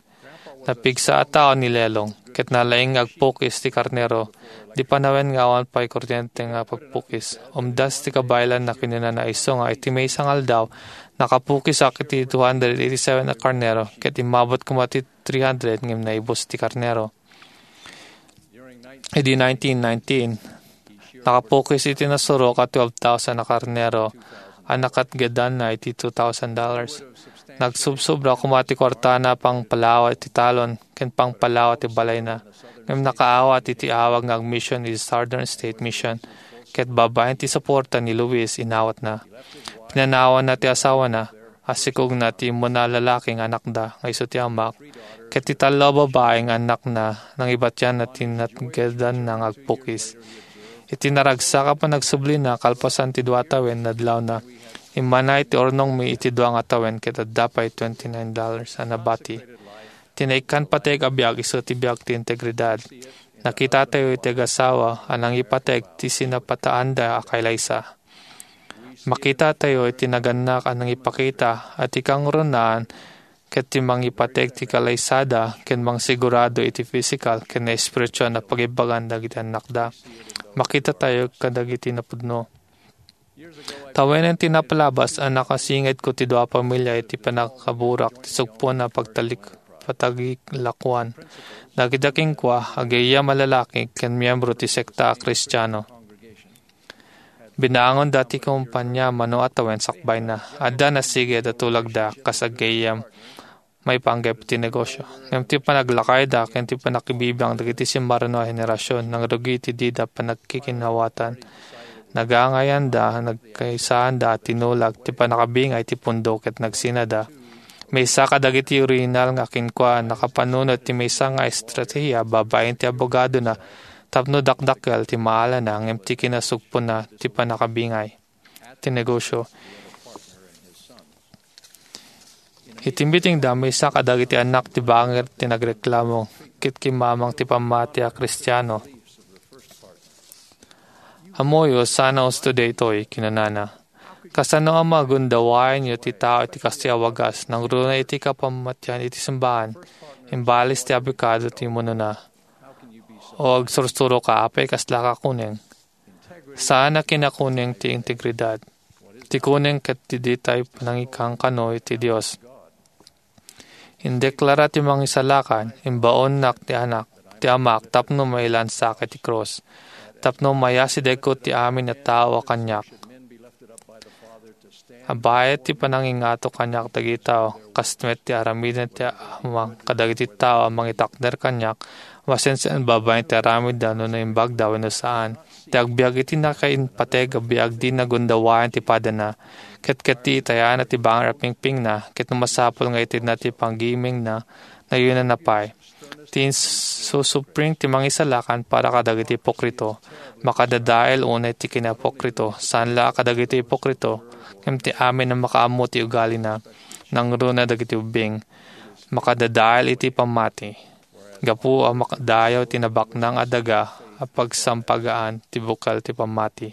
Napigsa a tao ni Lelong, ket nalaing nga agpukis ti karnero. Di panawen nga awan pay kurdiente nga pagpukis. Umdas ti kabaelanna, kinunana, isu nga iti maysa nga aldaw, nakapukisak iti two hundred eighty-seven a karnero, ket immabot koma ti three hundred ngem naibus ti karnero. Idi nineteen nineteen, nakapukis iti nasurok a twelve thousand a karnero a nakatgedanna iti two thousand dollars. Nagsubsobra koma ti kuartana pangpalawa ti talon ken pangpalawa ti balayna, ngem nakaawat iti awag nga agmission iti Southern State Mission, ket babaen ti suporta ni Luis, inawatna. Pinanawanna ti asawana, a sikogna ti immuna a lalaki nga anakda nga isu ti amak, ket ti tallo a babai nga annakna nangibatianna ti natgedanna nga agpukis. Iti naragsak a panagsublina kalpasan ti dua a tawen nadlawna, immana iti urnongmi iti dua nga tawen ket adda pay twenty-nine dollars a nabati. Ti naikkan pateg a biag isu ti biag ti integridad. Nakitatayo iti agasawa a nangipateg ti sinapataanda a kailaysa. Makitatayo iti nagannak a nangipakita a ti kangrunaan ket ti mangipateg ti kalaysada ken mangsigurado iti pisikal ken espirituan a pagibbagan dagiti annakda. Makitatayo kadagiti napudno. Tawenen ti napalabas a nakasingedko ti dua a pamilia iti pannakaburak ti sugpon a pagtalik-, patagilakoan. Dagita kenkuana, aggayam a lalaki ken miyembro ti sekta a Kristiano. Binaangonda ti kompania mano a tawen sakbayna. Adda nasiged a tulagda kas aggayam maipanggep iti negosio. Ngem ti panaglakayda ken ti pannakibibiang dagiti simmarno a henerasion nangrugi iti dida panagkikinawatan. Nagangayanda, nagkaisaanda a tinulag ti pannakabingay ti pundo ket nagsinada. Maysa kadagiti orihinal nga kenkuana nakapanunot ti maysa nga estrategia babaen ti abogadona tapno dakdakkel ti maalana ngem ti kinasugponna ti pannakabingay ti negosio. Iti mitingda, maysa kadagiti annak ti bangir ti nagreklamo ket kimmamang ti pammati a Kristiano. "Ammoyo, saan a usto daytoy," kinunana. "Kasano a magundawaenyo ti tao iti kastoy a wagas, nangruna iti kapammatian iti simbahan, imbalis ti abikado ti imunona? O agsursuroka, apay kasla ka kuneng?" Saan a kinakuneng ti integridad. Ti kuneng ket ti ditay nangikankano iti Dios. Indeklara ti mangisalakan, "Imbaonnak ti anak, ti amak, tapno mailansak iti krus, tapno mayasidegko ti amin a tao a kaniak." Abayet ti panangingato kaniak dagiti tao, kas met ti aramiden ti Ama kadagiti tao a mangitakder kaniak, masensen babaen ti aramidda no naimbagda wenno saan. Ti agbiag iti nakaimpateg a biag dina gundawaen ti padana, ket ketdi itayana ti bangir a pingpingna, ket no masapul nga itedna ti panggimengna, nayunanna pay. Ti insusupring ti mangisalakan para kadagiti ipokrito. Makadadael unay ti kinaipokrito, saan la a kadagiti ipokrito, ngem ti amin a makaammo ti ugalina, nangruna dagiti ubbing. Makadadael iti pammati. Gapu a makadayaw ti nabaknang a daga, a pagsampagaan ti bukel ti pammati.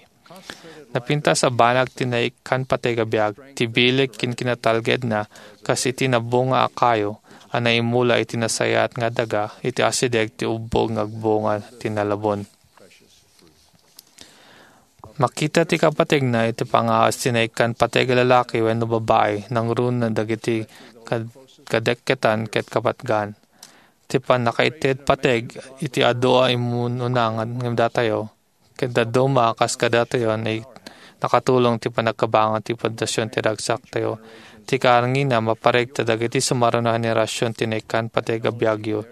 Napintas a banag ti naikkan pateg a biag, ti bileg ken kinatalgedna kas iti nabunga a kayo a naimula iti nasayaat nga daga iti asideg ti ubbog nga agbunga ti nalabon. Makita ti kapategna iti pangaas ti naikkan pateg a lalaki wenno babai, nangruna dagiti kad-, kadekketan ket kapatgan. Ti pannakaited pateg iti adu a immununa ngem datayo, ket dadduma a kas kadatayo, nakatulong ti panagkabangan ti pundasyon ti ragsaktayo. Ti kaarnina, maparegta dagiti sumaruno a henerasyon ti naikkan pateg a biagyo,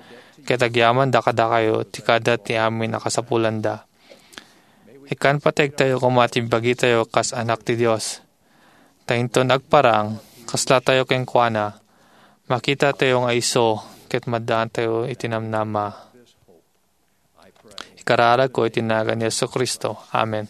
ket agyamanda kadakayo ti kada ti amin a kasapulanda. Ikkan pategtayo koma ti bagitayo kas anak ti Dios. Ta inton agparang, kaslatayo kenkuana. Makitatayo nga isu ket maddaantayo iti namnama. Ikararagko iti nagan ni Jesu-Cristo. Amen.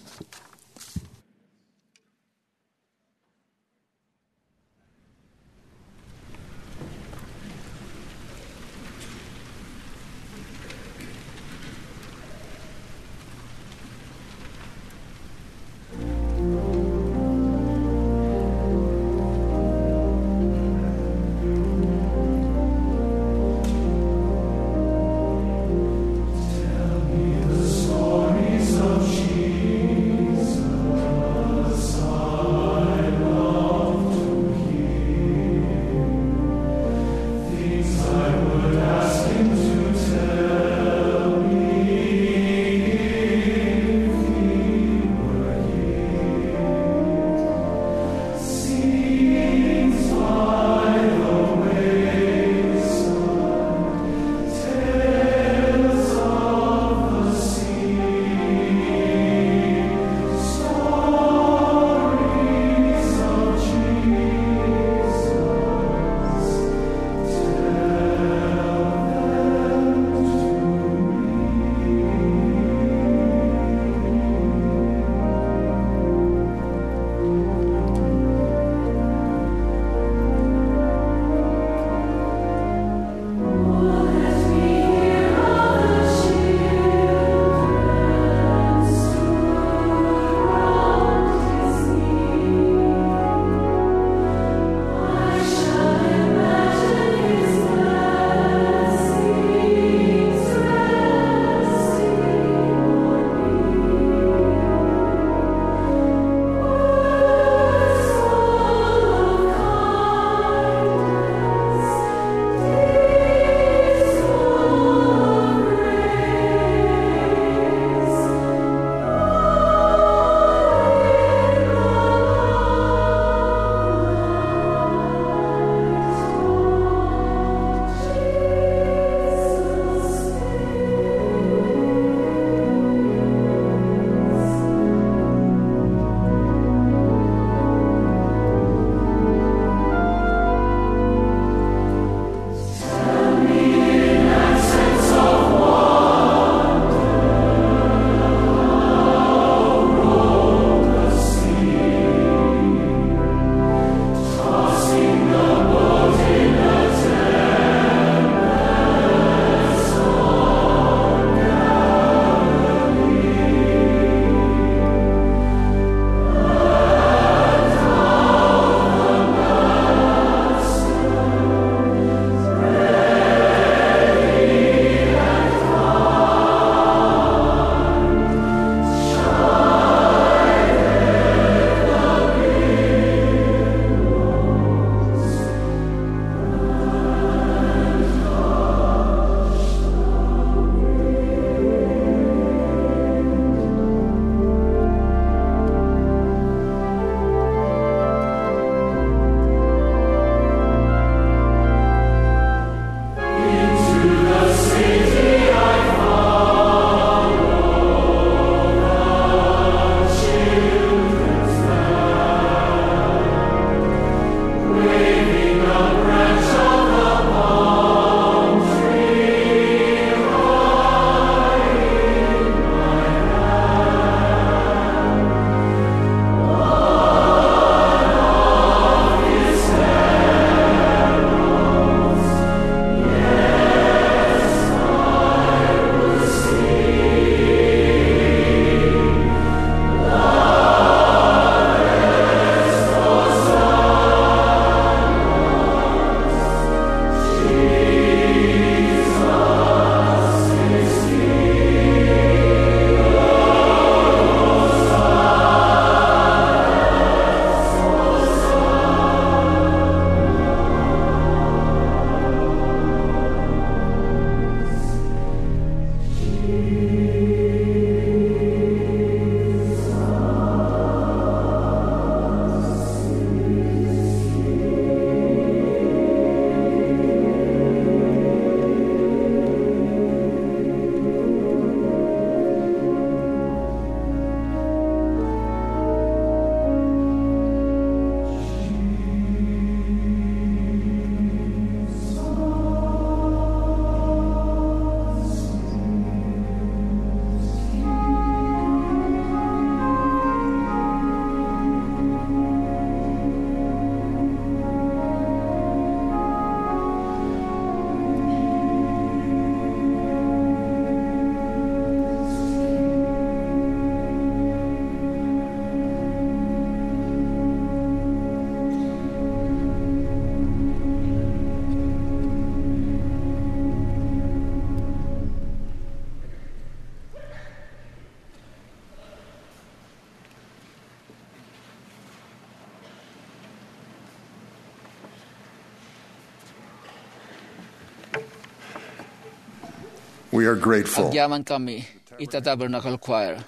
We are grateful. Agyaman kami ita Tabernacle Choir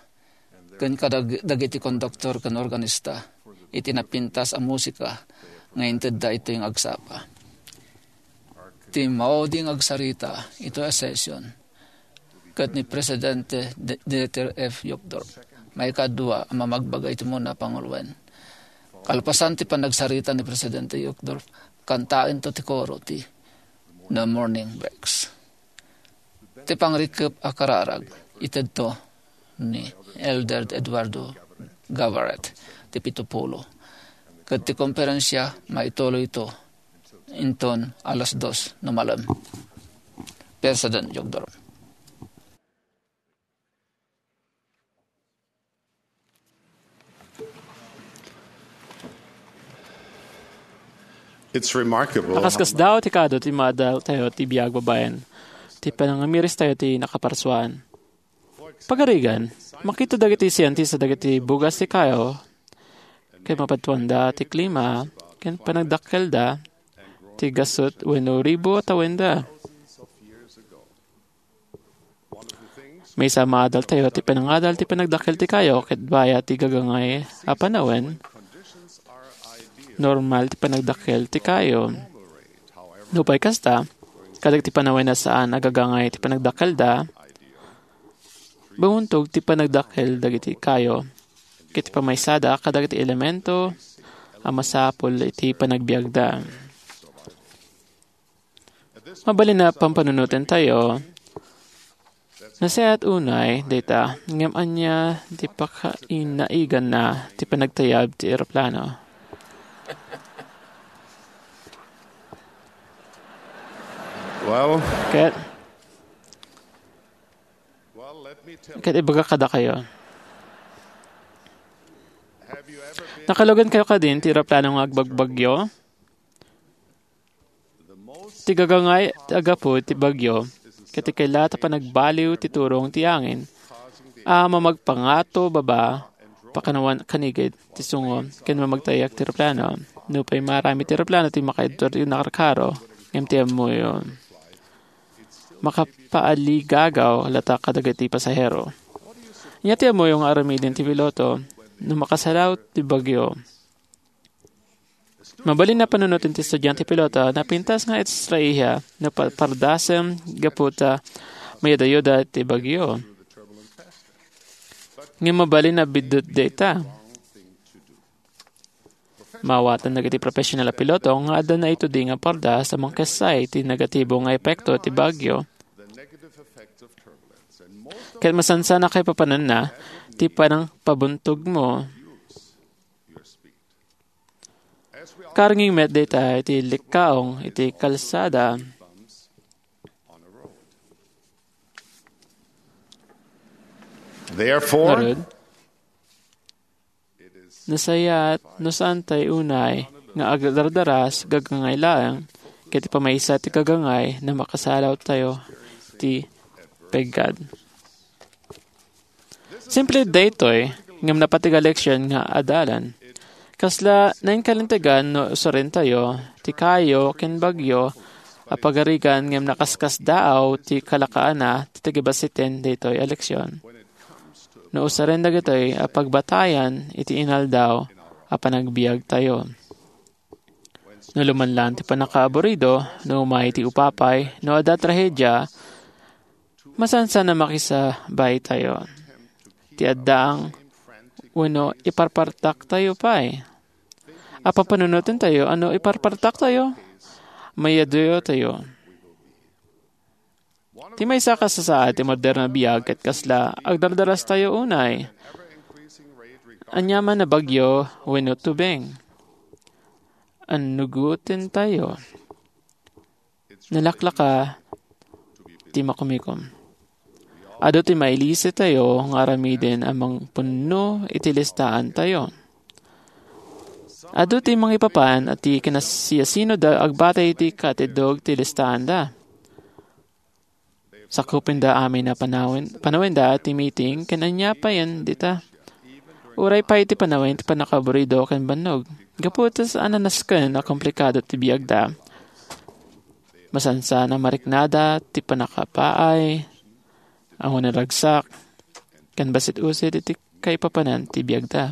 ken kadag-, dagiti konduktor ken organista iti napintas a musika nga intedda iti nga agsapa. Ti maudi nga agsarita iti session ket ni Presidente De-, Dieter F. Uchtdorf, maikadua a mamagbaga iti umuna a panguloen. Kalpasan ti panagsarita ni Presidente Uchtdorf, kantaentayo ti koro ti The Morning Breaks. Ti pangrikep a kararag, itedto ni Elder Eduardo Gabaret, ti pito pulo. Ket ti konferensia, maituloyto inton alas dos no malem. President Jogdor. It's remarkable. Nakaskasdaaw ti kaadu ti maadaltayo ti biag babaen, ti panangamiris tayo ti nakaparsuan. Pagarigan, makita dagiti sientista dagiti bugas ti kayo, ken mapadtuanda ti klima, ken panagdakkelda ti gasut wenno ribu a tawenda. Maysa a maadaltayo ti panangadal ti panagdakkel ti kayo ket baya ti gagangay a panawen, normal ti panagdakkel ti kayo. Nupay kasta, kadagiti panawen a saan a gagangay ti panagdakkelda, bumuntog ti panagdakkel dagiti kayo ket pamaysada kadagiti elemento a masapul iti panagbiagda. Mabalin a pampanunotentayo, nasayaat unay dayta, ngem ania ti pakainaiganna ti panagtayab ti eroplano? Well, Ket, well, let me tell ket ibaga kadakayo. Have you ever been Nakalugan kayo kadin ti eroplano nga agbagbagyo? Ti gagangay ti aggapu ti bagyo, ket ti kaila ta panagbaliw ti turong ti angin a mamagpangato baba, pakanawan kanigid ti sungo, ken mamagtayak ti eroplano. Nupay marami ti eroplano ti makaidto ti nakarkaro, ngem ti ammoyo, makapaaligagaw latta kadagiti pasahero. Ania ti ammoyo nga aramiden ti piloto no makasalaw ti bagyo? Mabalin a panunoten ti estudiante piloto, napintas nga istraiha no pa-, pardasem gapu ta mayadayuda ti bagyo. Ngem mabalin a biddut dayta. Maawatan dagiti professional a piloto nga adda naitudi nga pardas a mangkessay ti negatibo nga epekto ti bagyo. Ket masansan a kaipapananna ti panangpabuntogmo. Karnging met dayta iti likkaong iti kalsada. Therefore, ngarud, nasayaat no saantayo unay nga agdardaras gagangay laeng, ket ti pamaysa ti gagangay no makasalawtayo ti peggad. Simple daytoy, ngem napateg a leksion nga adalan. Kasla nainkalintegan no usarentayo ti kayo ken bagyo a pagarigan ngem nakaskasdaaw ti kalakaana ti tagibassiten daytoy a leksion. No usaren dagitoy a pagbatayan iti inaldaw a panagbiagtayo. No lumanlan ti pannakaaburido, no umay ti upapay, no adda trahedia, masansan a makisabaytayo. Ti addaang wenno iparpartaktayo pay. A papanunotentayo a no iparpartaktayo, mayadayuttayo. Ti maysa a kasasaad ti moderno a biag ket kasla agdardarastayo unay. Aniaman a bagyo wenno tubeng, annugotentayo. Nalaklaka ti makumikom. Adu ti mailisitayo nga aramiden a mangpunno iti listaantayo. Adu ti mangipapan a ti kinasiasinoda agbatay iti katiddog ti listaanda. Sakupenda amin a panawen-, panawenda ti meeting ken ania payen dita. Uray pay ti panawen ti pannakaaburido ken bannog. Gapu ta saan a nasken a komplikado ti biagda. Masansan a mariknada ti pannakapaay a mangragsak ken bassit-usit iti kaipapanan ti biagda.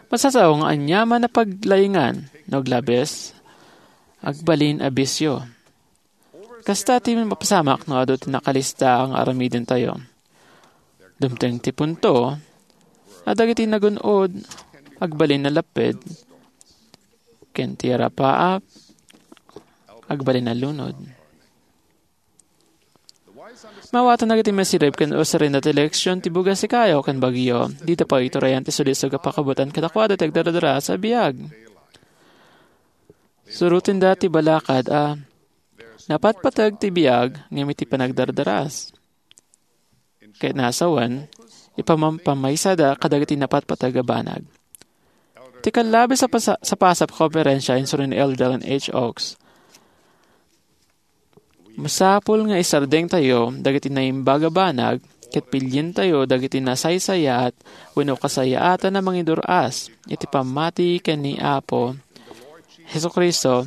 Masasao nga aniaman a paglaingan no aglabes, agbalin a bisio. Kasta ti mapasamak no adu ti nakalista nga aramidentayo. Dumteng ti punto a dagiti nagun-od agbalin a lapped, ken ti arapaap agbalin a lunod. Mawatan dagiti masirib ken usarenda ti leksion ti bugas ti kayo ken bagyo. Dida pay iturayan ti sulisog a pakabutan kadakuada ti agdardaras a biag. Surotenda ti balakad a napatpateg ti biag ngem iti panagdardaras. Ket nasawen, ipamampamaysada kadagiti napatpateg a banag. Ti kallabes a pasa-, sapasap a konferensia insuron ni Elder Dallin H. Oaks. Masapul nga isardengtayo dagiti naimbag a banag ket pilientayo dagiti nasaysayaat wenno kasayaatan a mangidur-as iti pammati ken ni Apo Jesu-Cristo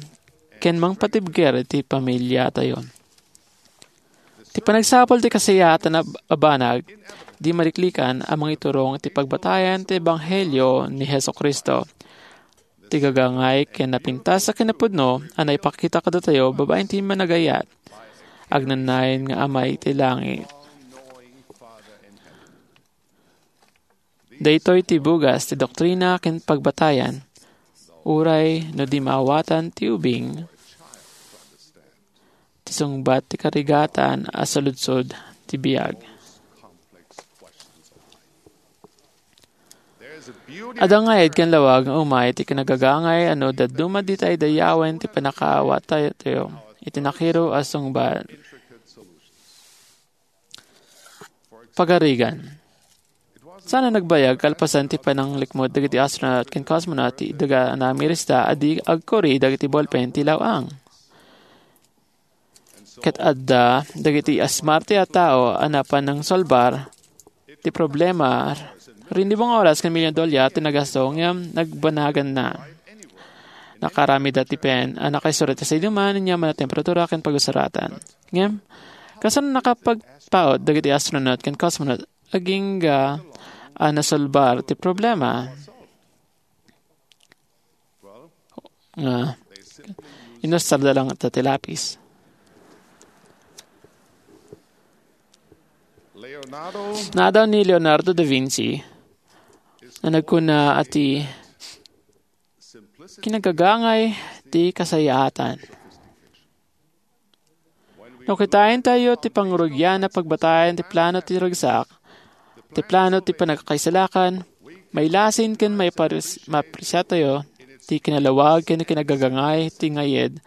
ken mangpatibker iti pamiliatayo. Ti panagsapul ti kasayaatan a, a banag, di maliklikan a mangiturong ti pagbatayan ti Ebanghelio ni Jesu-Cristo. Ti gagangay ken napintas a kinapudno a naipakita kadatayo babaen ti Managayat, agnanayon nga Ama iti langit. Daytoy ti bugas ti doktrina ken pagbatayan, uray no di maawatan ti ubing, ti sungbat ti karigatan a saludsod ti biag. Adda nga ayat ken lawag nga umay ti kinagagangay a no dadduma dita idaydayawen ti pannakaawatayo iti nakiro a sungbat. Pagarigan. Saan a nagbayag kalpasan ti pananglikmut dagiti astronaut ken cosmonaut ti daga a namirista a di agkuri dagiti ballpen ti law-ang. Ket adda dagiti asmarte a tao a napan nangsolbar ti problema. Rinibong oras ken milyon dolyar ti nagasto ngem nagbanaganna. Nakaaramidda ti pen a nakaisuro ti saiduman, aniaman a temperatura ken pagusaratan. Ngem, kasano nakapagpaut dagiti astronaut ken cosmonaut agingga a nasolbar ti problema? Nga, inusarda laeng ti lapis. Naadaw ni Leonardo da Vinci a nagkuna a ti kinagagangay ti kasayaatan. No kitaentayo ti pangrugian a pagbatayan ti plano ti ragsak, ti plano ti panagkaisalakan, mailasin ken maipares-, maapresiatayo ti kinalawag ken kinagagangay ti ngayed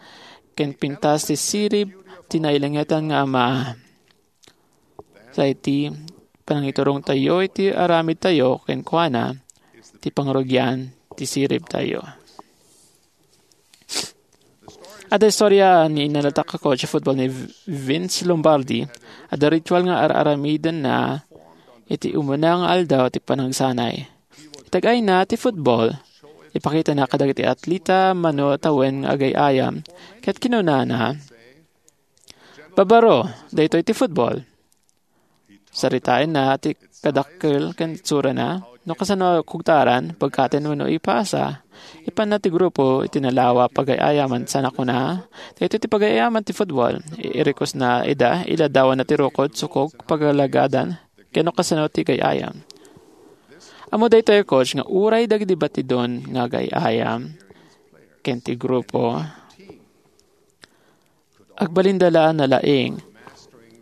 ken pintas ti sirib ti nailangitan nga Ama. Sa iti panangiturongtayo iti aramidtayo kenkuana, ti pangrugian ti siribtayo. Adda istoria ni nalatak a coach a football ni Vince Lombardi. Adda ritual nga ar-aramidenna iti umuna nga aldaw ti panagsanay. Itag-ayna ti football. Ipakitana kadagiti atleta mano tawen nga agay-ayam. Ket kinunana, "Babaro, daytoy ti football." Saritaenna ti kadakkel ken itsurana, no kasano kugtaran, pagkaten wenno ipasa. Ipanna ti grupo iti nalawa pagay-ayaman sana kuna, "Daytoy ti pagay-ayaman ti football." I-, irikosna ida, iladdawanna ti rukod, sukog, pagalagadan, ken no kasano ti gay-ayam. Ammo daytoy, coach, nga uray dagiti batidon nga gay-ayam ken ti grupo, agbalinda la a nalaing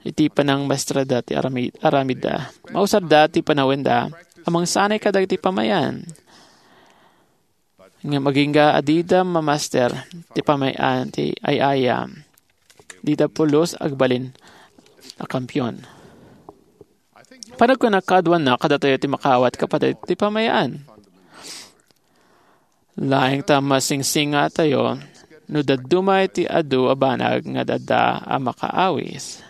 iti panangmaestrada ti arami-, aramidda. Mausarda ti panawenda a mangsanay kadagiti pamay-an. Ngem agingga a dida mamaster ti pamay-an ti ay-ayam, dida pulos agbalin a kampiyon. Panagkunak kaaduanna kadatayo ti makaawat, kapateg, ti pamay-an. Laeng ta masingsingatayo no dadduma iti adu a banag nga adda a makaawis.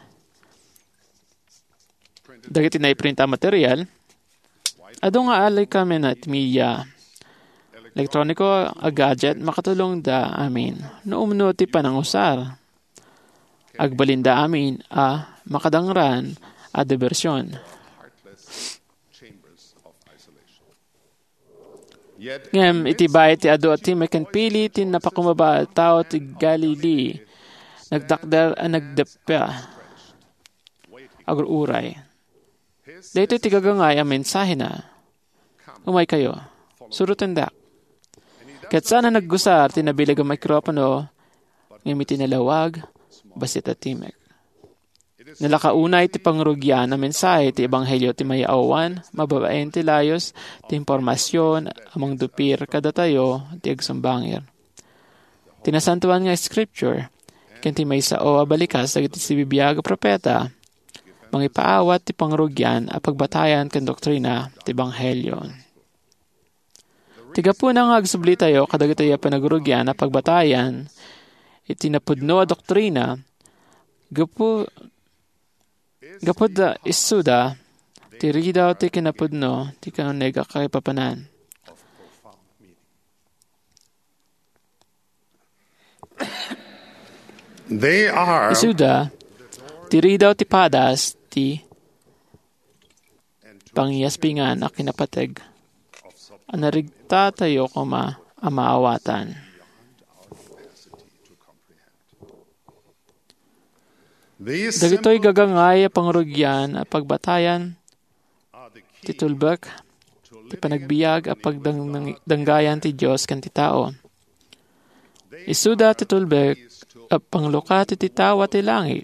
Dagiti naiprinta a material, adu nga alikamen ti media, elektroniko a gadget, makatulongda amin no umno ti panangusar. Agbalinda amin a makadangran a diversion. Ngem iti bay ti adu a timek ken pili ti napakumaba a tao ti Galilee, nagtakder a nagdeppa, agur-uray. Daytoy ti gagangay a mensahena. Umaykayo. Surotendak. Ket saan a naggusar ti nabileg a mikropono, ngem iti nalawag, bassit a timek. Nalaka unay ti pangrugian a mensahe ti ebanghelio ti mayaawan, mababaen ti layus ti impormasion a mangdupir kadatayo ti agsumbangir. Ti Nasantoan nga Scripture ken ti maisao a balikas dagiti sibibiag a propeta, mangipaawat ti pangrugian a pagbatayan ken doktrina ti ebanghelio. Ti gapuna nga agsublitayo kadagitoy a panagrugian a pagbatayan iti napudno a doktrina, gapu, gapu ta isuda ti ridaw ti kinapudno ti kauneg a kaipapanan. They are Isuda ti ridaw ti padas ti pangiyaspingan a kinapateg a narigtatayo koma a maawatan. Dagitoy gagangay a pangrugian a pagbatayan ti tulbek ti panagbiag a pagdanggayan ti Dios ken ti tao. Isuda ti tulbek a panglukat iti tawa ti langit.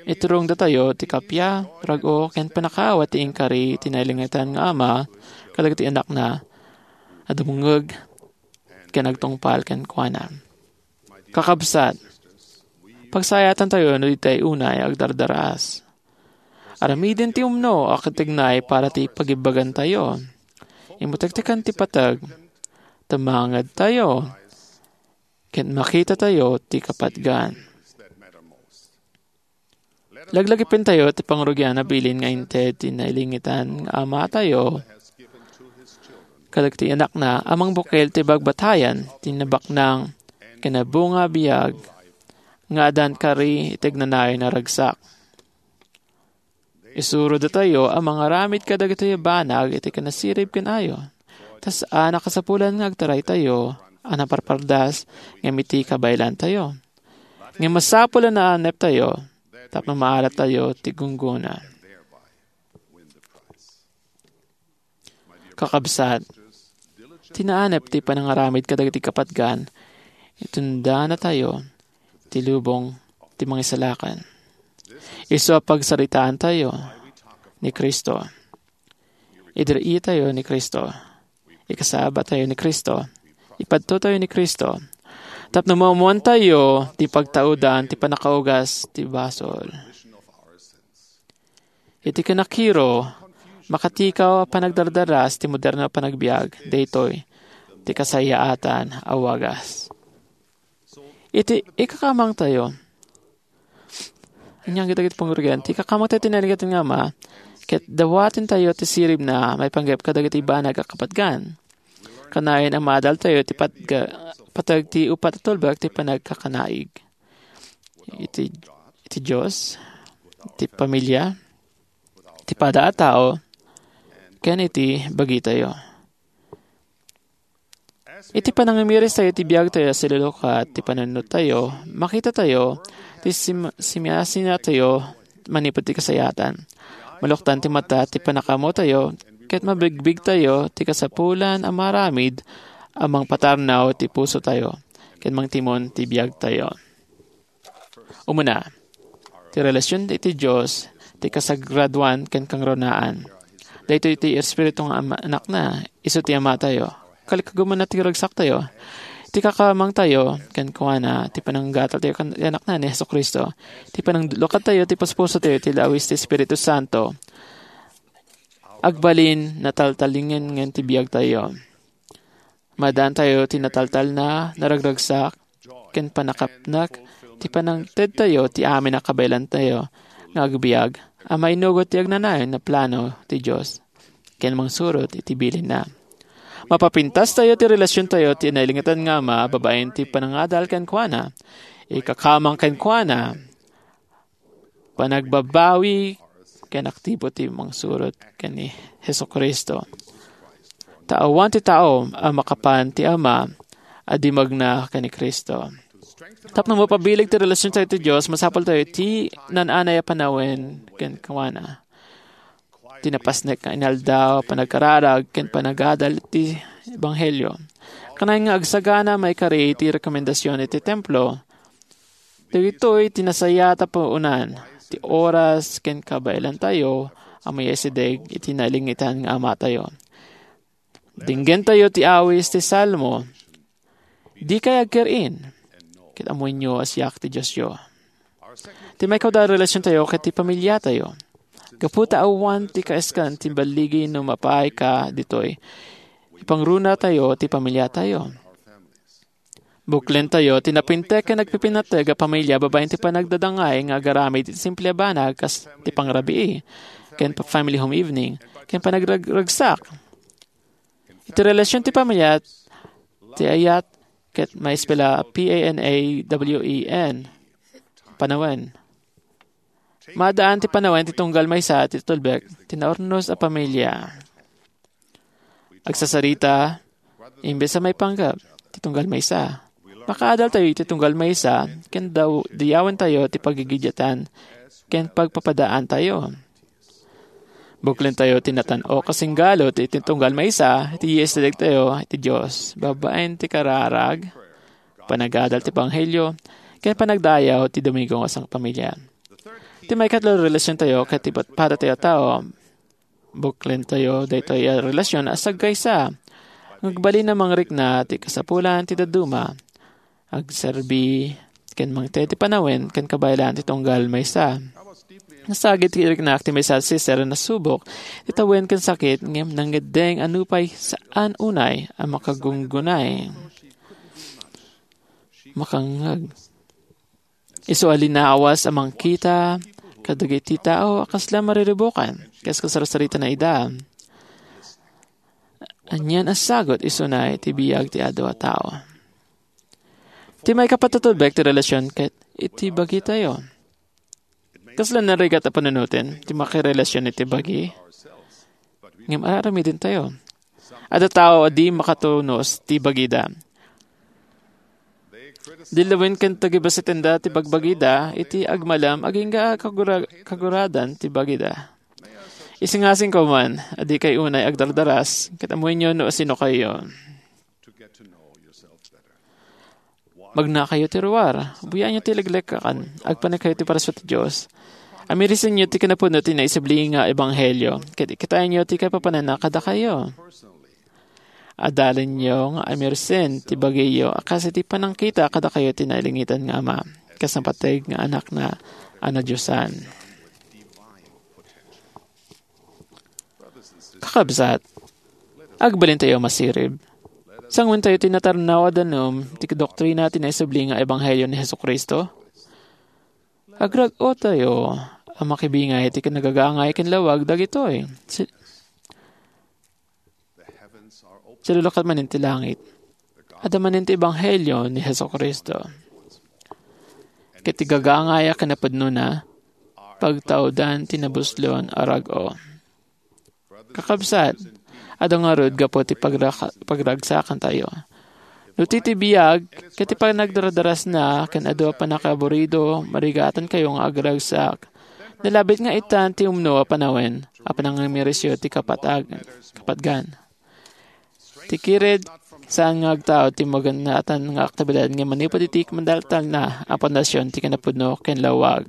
Iturongdatayo ti kappia, rag-o, ken pannakaawat ti inkari ti nailangitan nga Ama kadagiti anakna a dumngeg ken agtungpal kenkuana. Kakabsat, pagsayaatantayo no ditay unay agdardaraas. Aramiden ti umno a katignay para ti pagibbagantayo. Immutektekan ti pateg, tumangedtayo, ket makitatayo ti kapatgan. Laglagipentayo ti pangrugian a bilin nga inted ti nailangitan nga Amatayo kadagiti anakna a mangbukel ti bagbatayan ti nabaknang ken nabunga a biag nga addan kari iti agnanayon a ragsak. Isurodatayo a mangaramid kadagitoy a banag iti kinasirib ken ayo. Ta saan a kasapulan nga agtaraytayo a naparpardas ngem iti kabaelantayo. Ngem masapul a naaneptayo tapno maadattayo ti gunggona. Kakabsat, ti naanep ti panangaramid kadagiti kapatgan, itundanatayo ti lubong ti Mangisalakan. Isu a pagsaritaantayo ni Cristo. Idir-itayo ni Cristo. Ikasabatayo ni Cristo. Ipadtotayo ni Cristo. Tapno maammoantayo ti pagtaudan ti pannakaugas ti basol. Iti kinakiro, makatikaw a panagdardaras ti moderno a panagbiag, daytoy ti kasayaatan a wagas. Iti ikakamangtayo, ania dagiti pangrugian, ti ikakamangtayo ti nailangitan nga Ama, ket dawatentayo ti siribna maipanggep kadagiti banag a kapatgan. Kanayon a maadaltayo ti patga-, pateg ti uppat a tulbek ti panagkakanaig. Iti, iti Dios, iti pamilia, iti pada a tao, ken iti bagitayo. Iti panangamiristayo iti biagtayo a silulukat ti panunnottayo, makitatayo ti sim-, simiasinatayo manipud ti kasayaatan. Maluktan ti mata ti pannakaammotayo, ket mabigbigtayo ti kasapulan a maaramid a mangpatarnaw ti pusotayo, ket mangtimon ti biagtayo. Umuna, ti relasion iti Dios ti kasagradoan ken kangrunaan. Daytoy ti Espiritu nga Ama-, Anakna, isu ti Amatayo. Kalikagumanna ti ragsaktayo. Ti ikakamangtayo kenkuana, ti pananggataltayo ken ti Anakna ni Jesu-Cristo. Ti pananglukadtayo ti puspusotayo ti lawis ti Espiritu Santo. Agbalin, nataltalingen ti biagtayo. Maaddaantayo ti nataltalna, naragragsak, ken pannakapnek ti panangtedtayo ti amin a kabaelantayo nga agbiag a mainugot ti agnanayon a plano ti Dios ken mangsurot iti bilinna. Mapapintastayo ti relasiontayo ti nailangitan nga Ama babaen ti panangadal kenkuana. Ikakamang kenkuana. panagbabawi ken aktibo ti mangsurot ken ni Jesu-Cristo. Ta awan ti tao a makapan ti Ama a di magna ken ni Cristo. Tapno mapabileg ti relasiontayo ti Dios, masapultayo ti naan-anay a panawen kenkuana. Ti napasnek nga inaldaw, panagkararag, ken panagadal ti ebanghelio. Kanayon nga agsagana maikari ti rekomendasion iti templo. Dagitoy ti nasayaat a puonan, ti oras ken kabaelantayo a maysideg iti nailingitan nga Amatayo. Dinggentayo ti awis ti Salmo. Dikay agkir-in, ket ammoenyo a siak ti Diosyo. Ti maikadua a relasiontayo ket ti pamiliatayo. Gapu ta awan ti kaiskan ti balligi no mapaay ka ditoy. Ipangrunatayo ti pamiliatayo. Buklentayo ti napintek ken nagpipinateg a pamilya babaen ti panagdadangay nga agaramid iti simple a banag kas ti pangrabii, ken pa-, family home evening, ken panagrag-, ragsak. Iti relasion ti pamilya, ti ayat ket maisip la P A N A W E N, panawen. Maadaan ti panawen ti tunggal maysa ti tulbek ti naurnos a pamilya. Agsasarita, imbes a maipanggep ti tunggal maysa. Makaadaltayo iti tunggal maysa, ken daw-, dayawentayo ti pagigidiatan ken pagpapadaantayo. Buklentayo ti natan-ok a singgalu ti, ti tunggal maysa, iti isidegtayo iti Dios, babaen ti kararag, panagadal ti ebanghelio, ken panagdayaw ti Domingo nga sangpamilya. Ti maikatlo a relasiontayo ket ti pat-, padatayo a tao, buklentayo daytoy a relasion a sagkaysa. Nga agbalin a mangrikna ti kasapulan ti dadduma. Agserbi ken mangted ti panawen ken kabaelan ti tunggal maysa. Nasagid ti iriknak ti maysa a sister a nasubok ti tawen ken sakit ngem nangngeddeng a nupay saan unay a makagunggunay. Makangngeg. Isu a linawas a mangkita kadagiti tao a kasla mariribukan, kas kasarsaritana ida. Anian a sagut isuna iti biag ti adu a tao. Ti maikapat a tulbek ti relasion ket iti bagitayo. Kasla narigat a panunoten ti makirelasion iti bagi. Ngem ar-aramidentayo. Adda tao a di makatunos ti bagida. Dillawen ken tagibasitenda ti bagbagida iti agmalem agingga a kagura-, kaguradan ti bagida. Isingasingko man a dikay unay agdardaras ket ammoenyo no asinokayo. Magnakayo ti ruar, buyaenyo ti leklekakan, agpanekkayo ti parasyo ti Dios. Amirisenyo ti kinapudno ti naisubli nga ebanghelio, ket ikitaenyo ti kaipapananna kadakayo. Adalenyo nga amirisen ti bagiyo a kas iti panangkita kadakayo ti nailingitan nga Ama, kas napateg nga Anakna a nadiosan. Kakabsat, agbalintayo a masirib. Sanguentayo ti natarnaw a danum ti doktrina ti naisubli nga ebanghelio ni Jesu-Cristo. Agragotayo a makibingay ti kinagagangay ken lawag dagitoy. Si-, silulukat manen ti langit. Adda manen ti ebanghelio ni Jesu-Cristo. Ket ti gagangay a kinapudnona, pagtaudan ti nabuslon a rag-o. Kakabsat, adda ngarud gapu ti pagraka-, pagragsakantayo. No ti, ti biag, ket ti panagdardarasna, ken adu a pannakaaburido, marigatankayo nga agragsak. Nalabit nga itan ti umno a panawen, a panangamirisyo ti kapatag-, kapatgan. Ti kired, saan nga agtaud ti maganatan nga aktibidad nga manipud iti mandaltalna a pundasyon ti kinapudno ken lawag.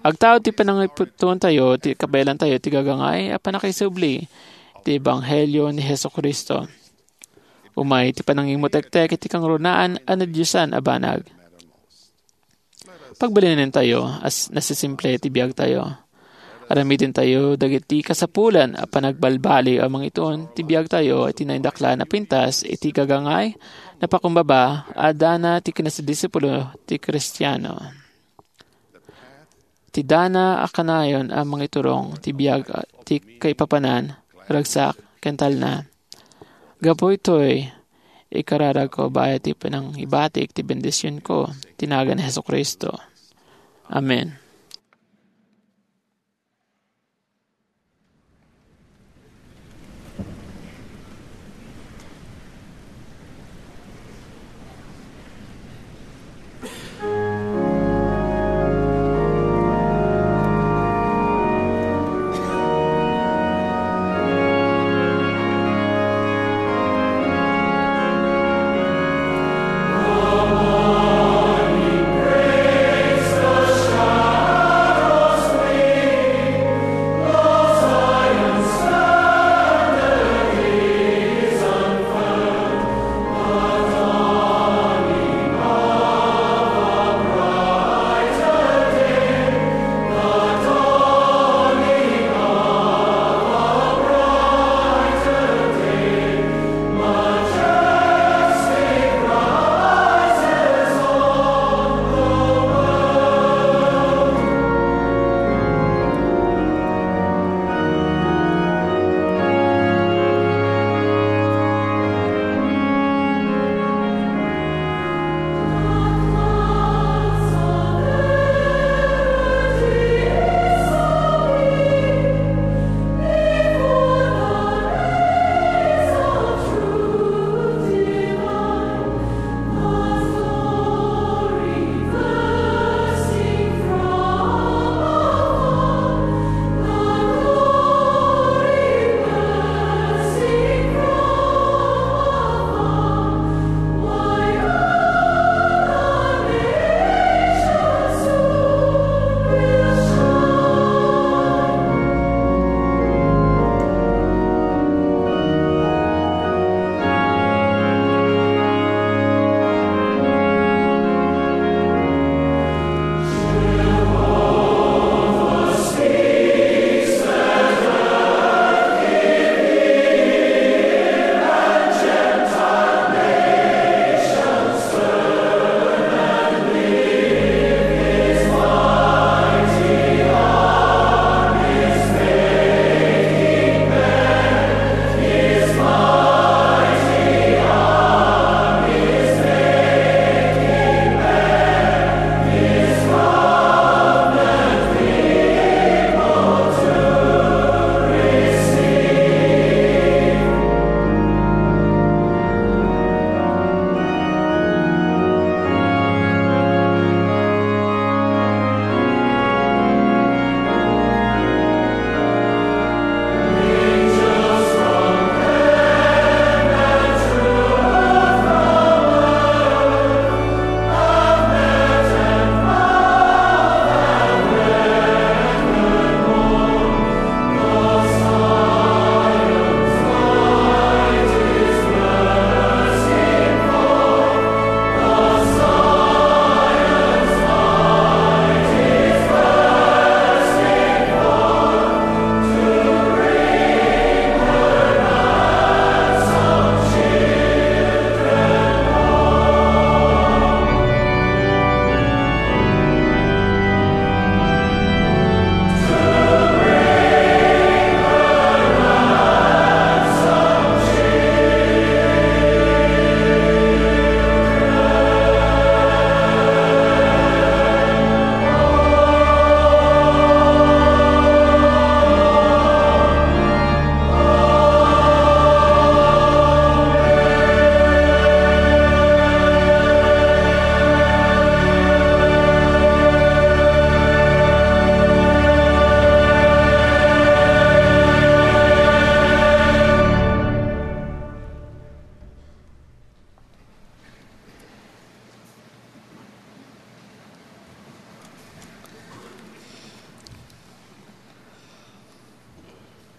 Agtaud ti panangiputontayo ti kabaelantayo ti gagangay a pannakaisubli ti ebanghelio ni Jesu-Cristo. Umay ti panangimutektek iti kangrunaan a nadiosan a banag. Pagbalinentayo a s-, nasisimple ti biagtayo. Aramidentayo dagiti kasapulan a panagbalbaliw a mangituon ti biagtayo iti naindaklan a pintas iti gagangay, napakumbaba a dana ti kinadisipulo ti Kristiano. Ti dana a kanayon a mangiturong ti biag a ti kaipapanan, ragsak, ken talna. Gapu itoy, ikararagko bayat ti panangibatik ti bendisionko, ti nagan ni Jesu-Cristo. Amen.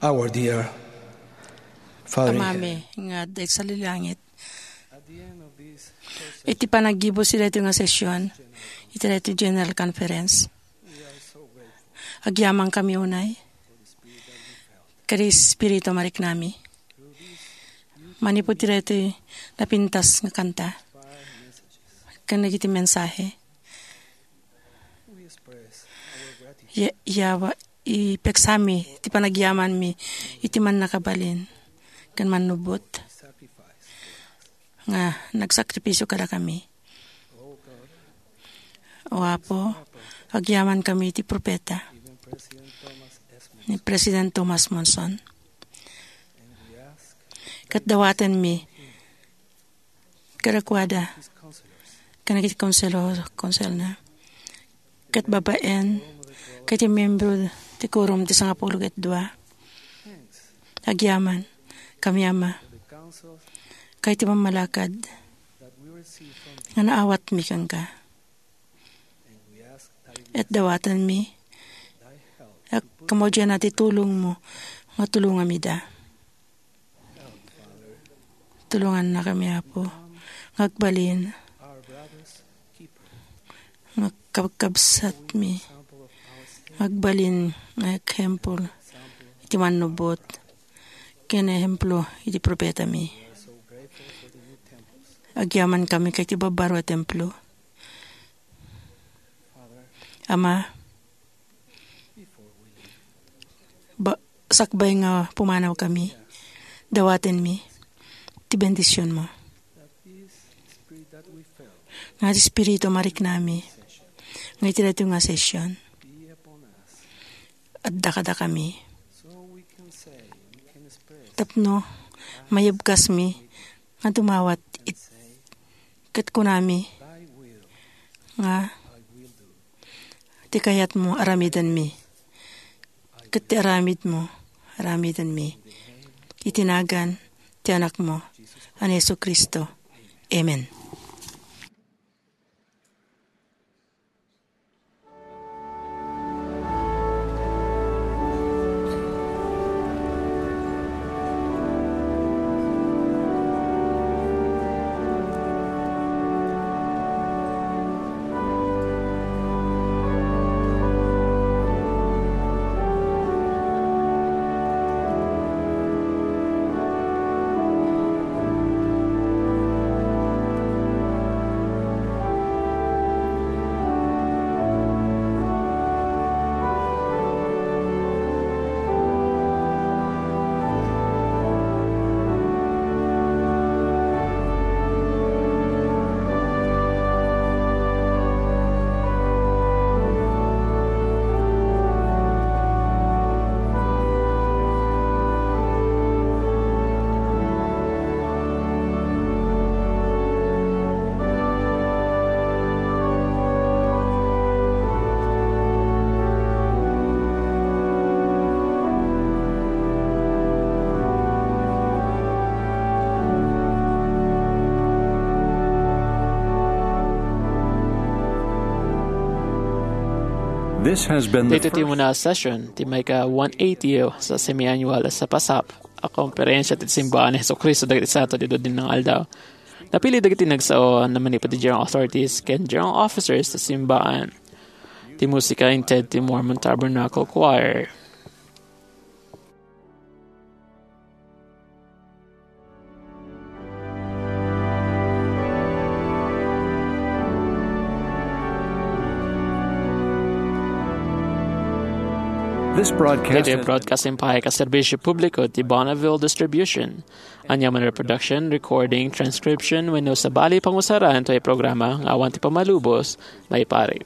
Our dear Father in Amami heaven, nga adda iti langit. Iti panaggibusi daytoy nga session, iti daytoy General Conference, agyamankami unay ken Espiritu mariknami. Manipud ti daytoy napintas nga kanta ken dagiti mensahe, ya-, yawa, ipeksami ti panagyamanmi iti mannakabalin ken mannubbot nga nagsakripisio kadakami. O Apo, agyamankami iti propeta ni President Thomas Monson. Ket dawatenmi kadakuada ken dagiti konselo, konselna, ket babaen ket iti membro ti Quorum ti Sangapulo ket Dua. Agyamankami, Ama, iti pammalakad nga naawatmi kenka. Ket dawatenmi a kamaudianna ti tulongmo nga tulongamida. Tulongannakami, Apo, nga agbalin nga kabkabsatmi, nga agbalin nga ehemplo iti mannubbot ken ehemplo iti propetami. Agyamankami iti babbaro a templo. Ama, ba-, sakbay nga pumanawkami, dawatenmi ti bendisionmo. Nga ti Espiritu mariknami, nga iti daytoy nga session, adda kadakami. Tapno mayebkasmi nga dumawat it-, ket kunami nga ti kayatmo aramidenmi, ket ti aramidmo aramidenmi. Iti nagan ti Anakmo a ni Jesu-Cristo. Amen. This has been the Daytoy ti first umuna a session ti maika one eighty sa semi-annual a sapasap a Komperensia ti Simbaan ni Jesu-Cristo dagiti Santo ti Dudin nga Aldaw. Napili dagiti nagsao a manipud ti General Authorities ken General Officers ti Simbaan. Ti musika inted ti Mormon Tabernacle Choir. This broadcast Daytoy broadcasting pay ka serbisyo publiko ti Bonneville Distribution. Ania man reproduction, recording, transcription, wenno sabali pangusaran toy programa nga awan ti pammalubos, maiparit.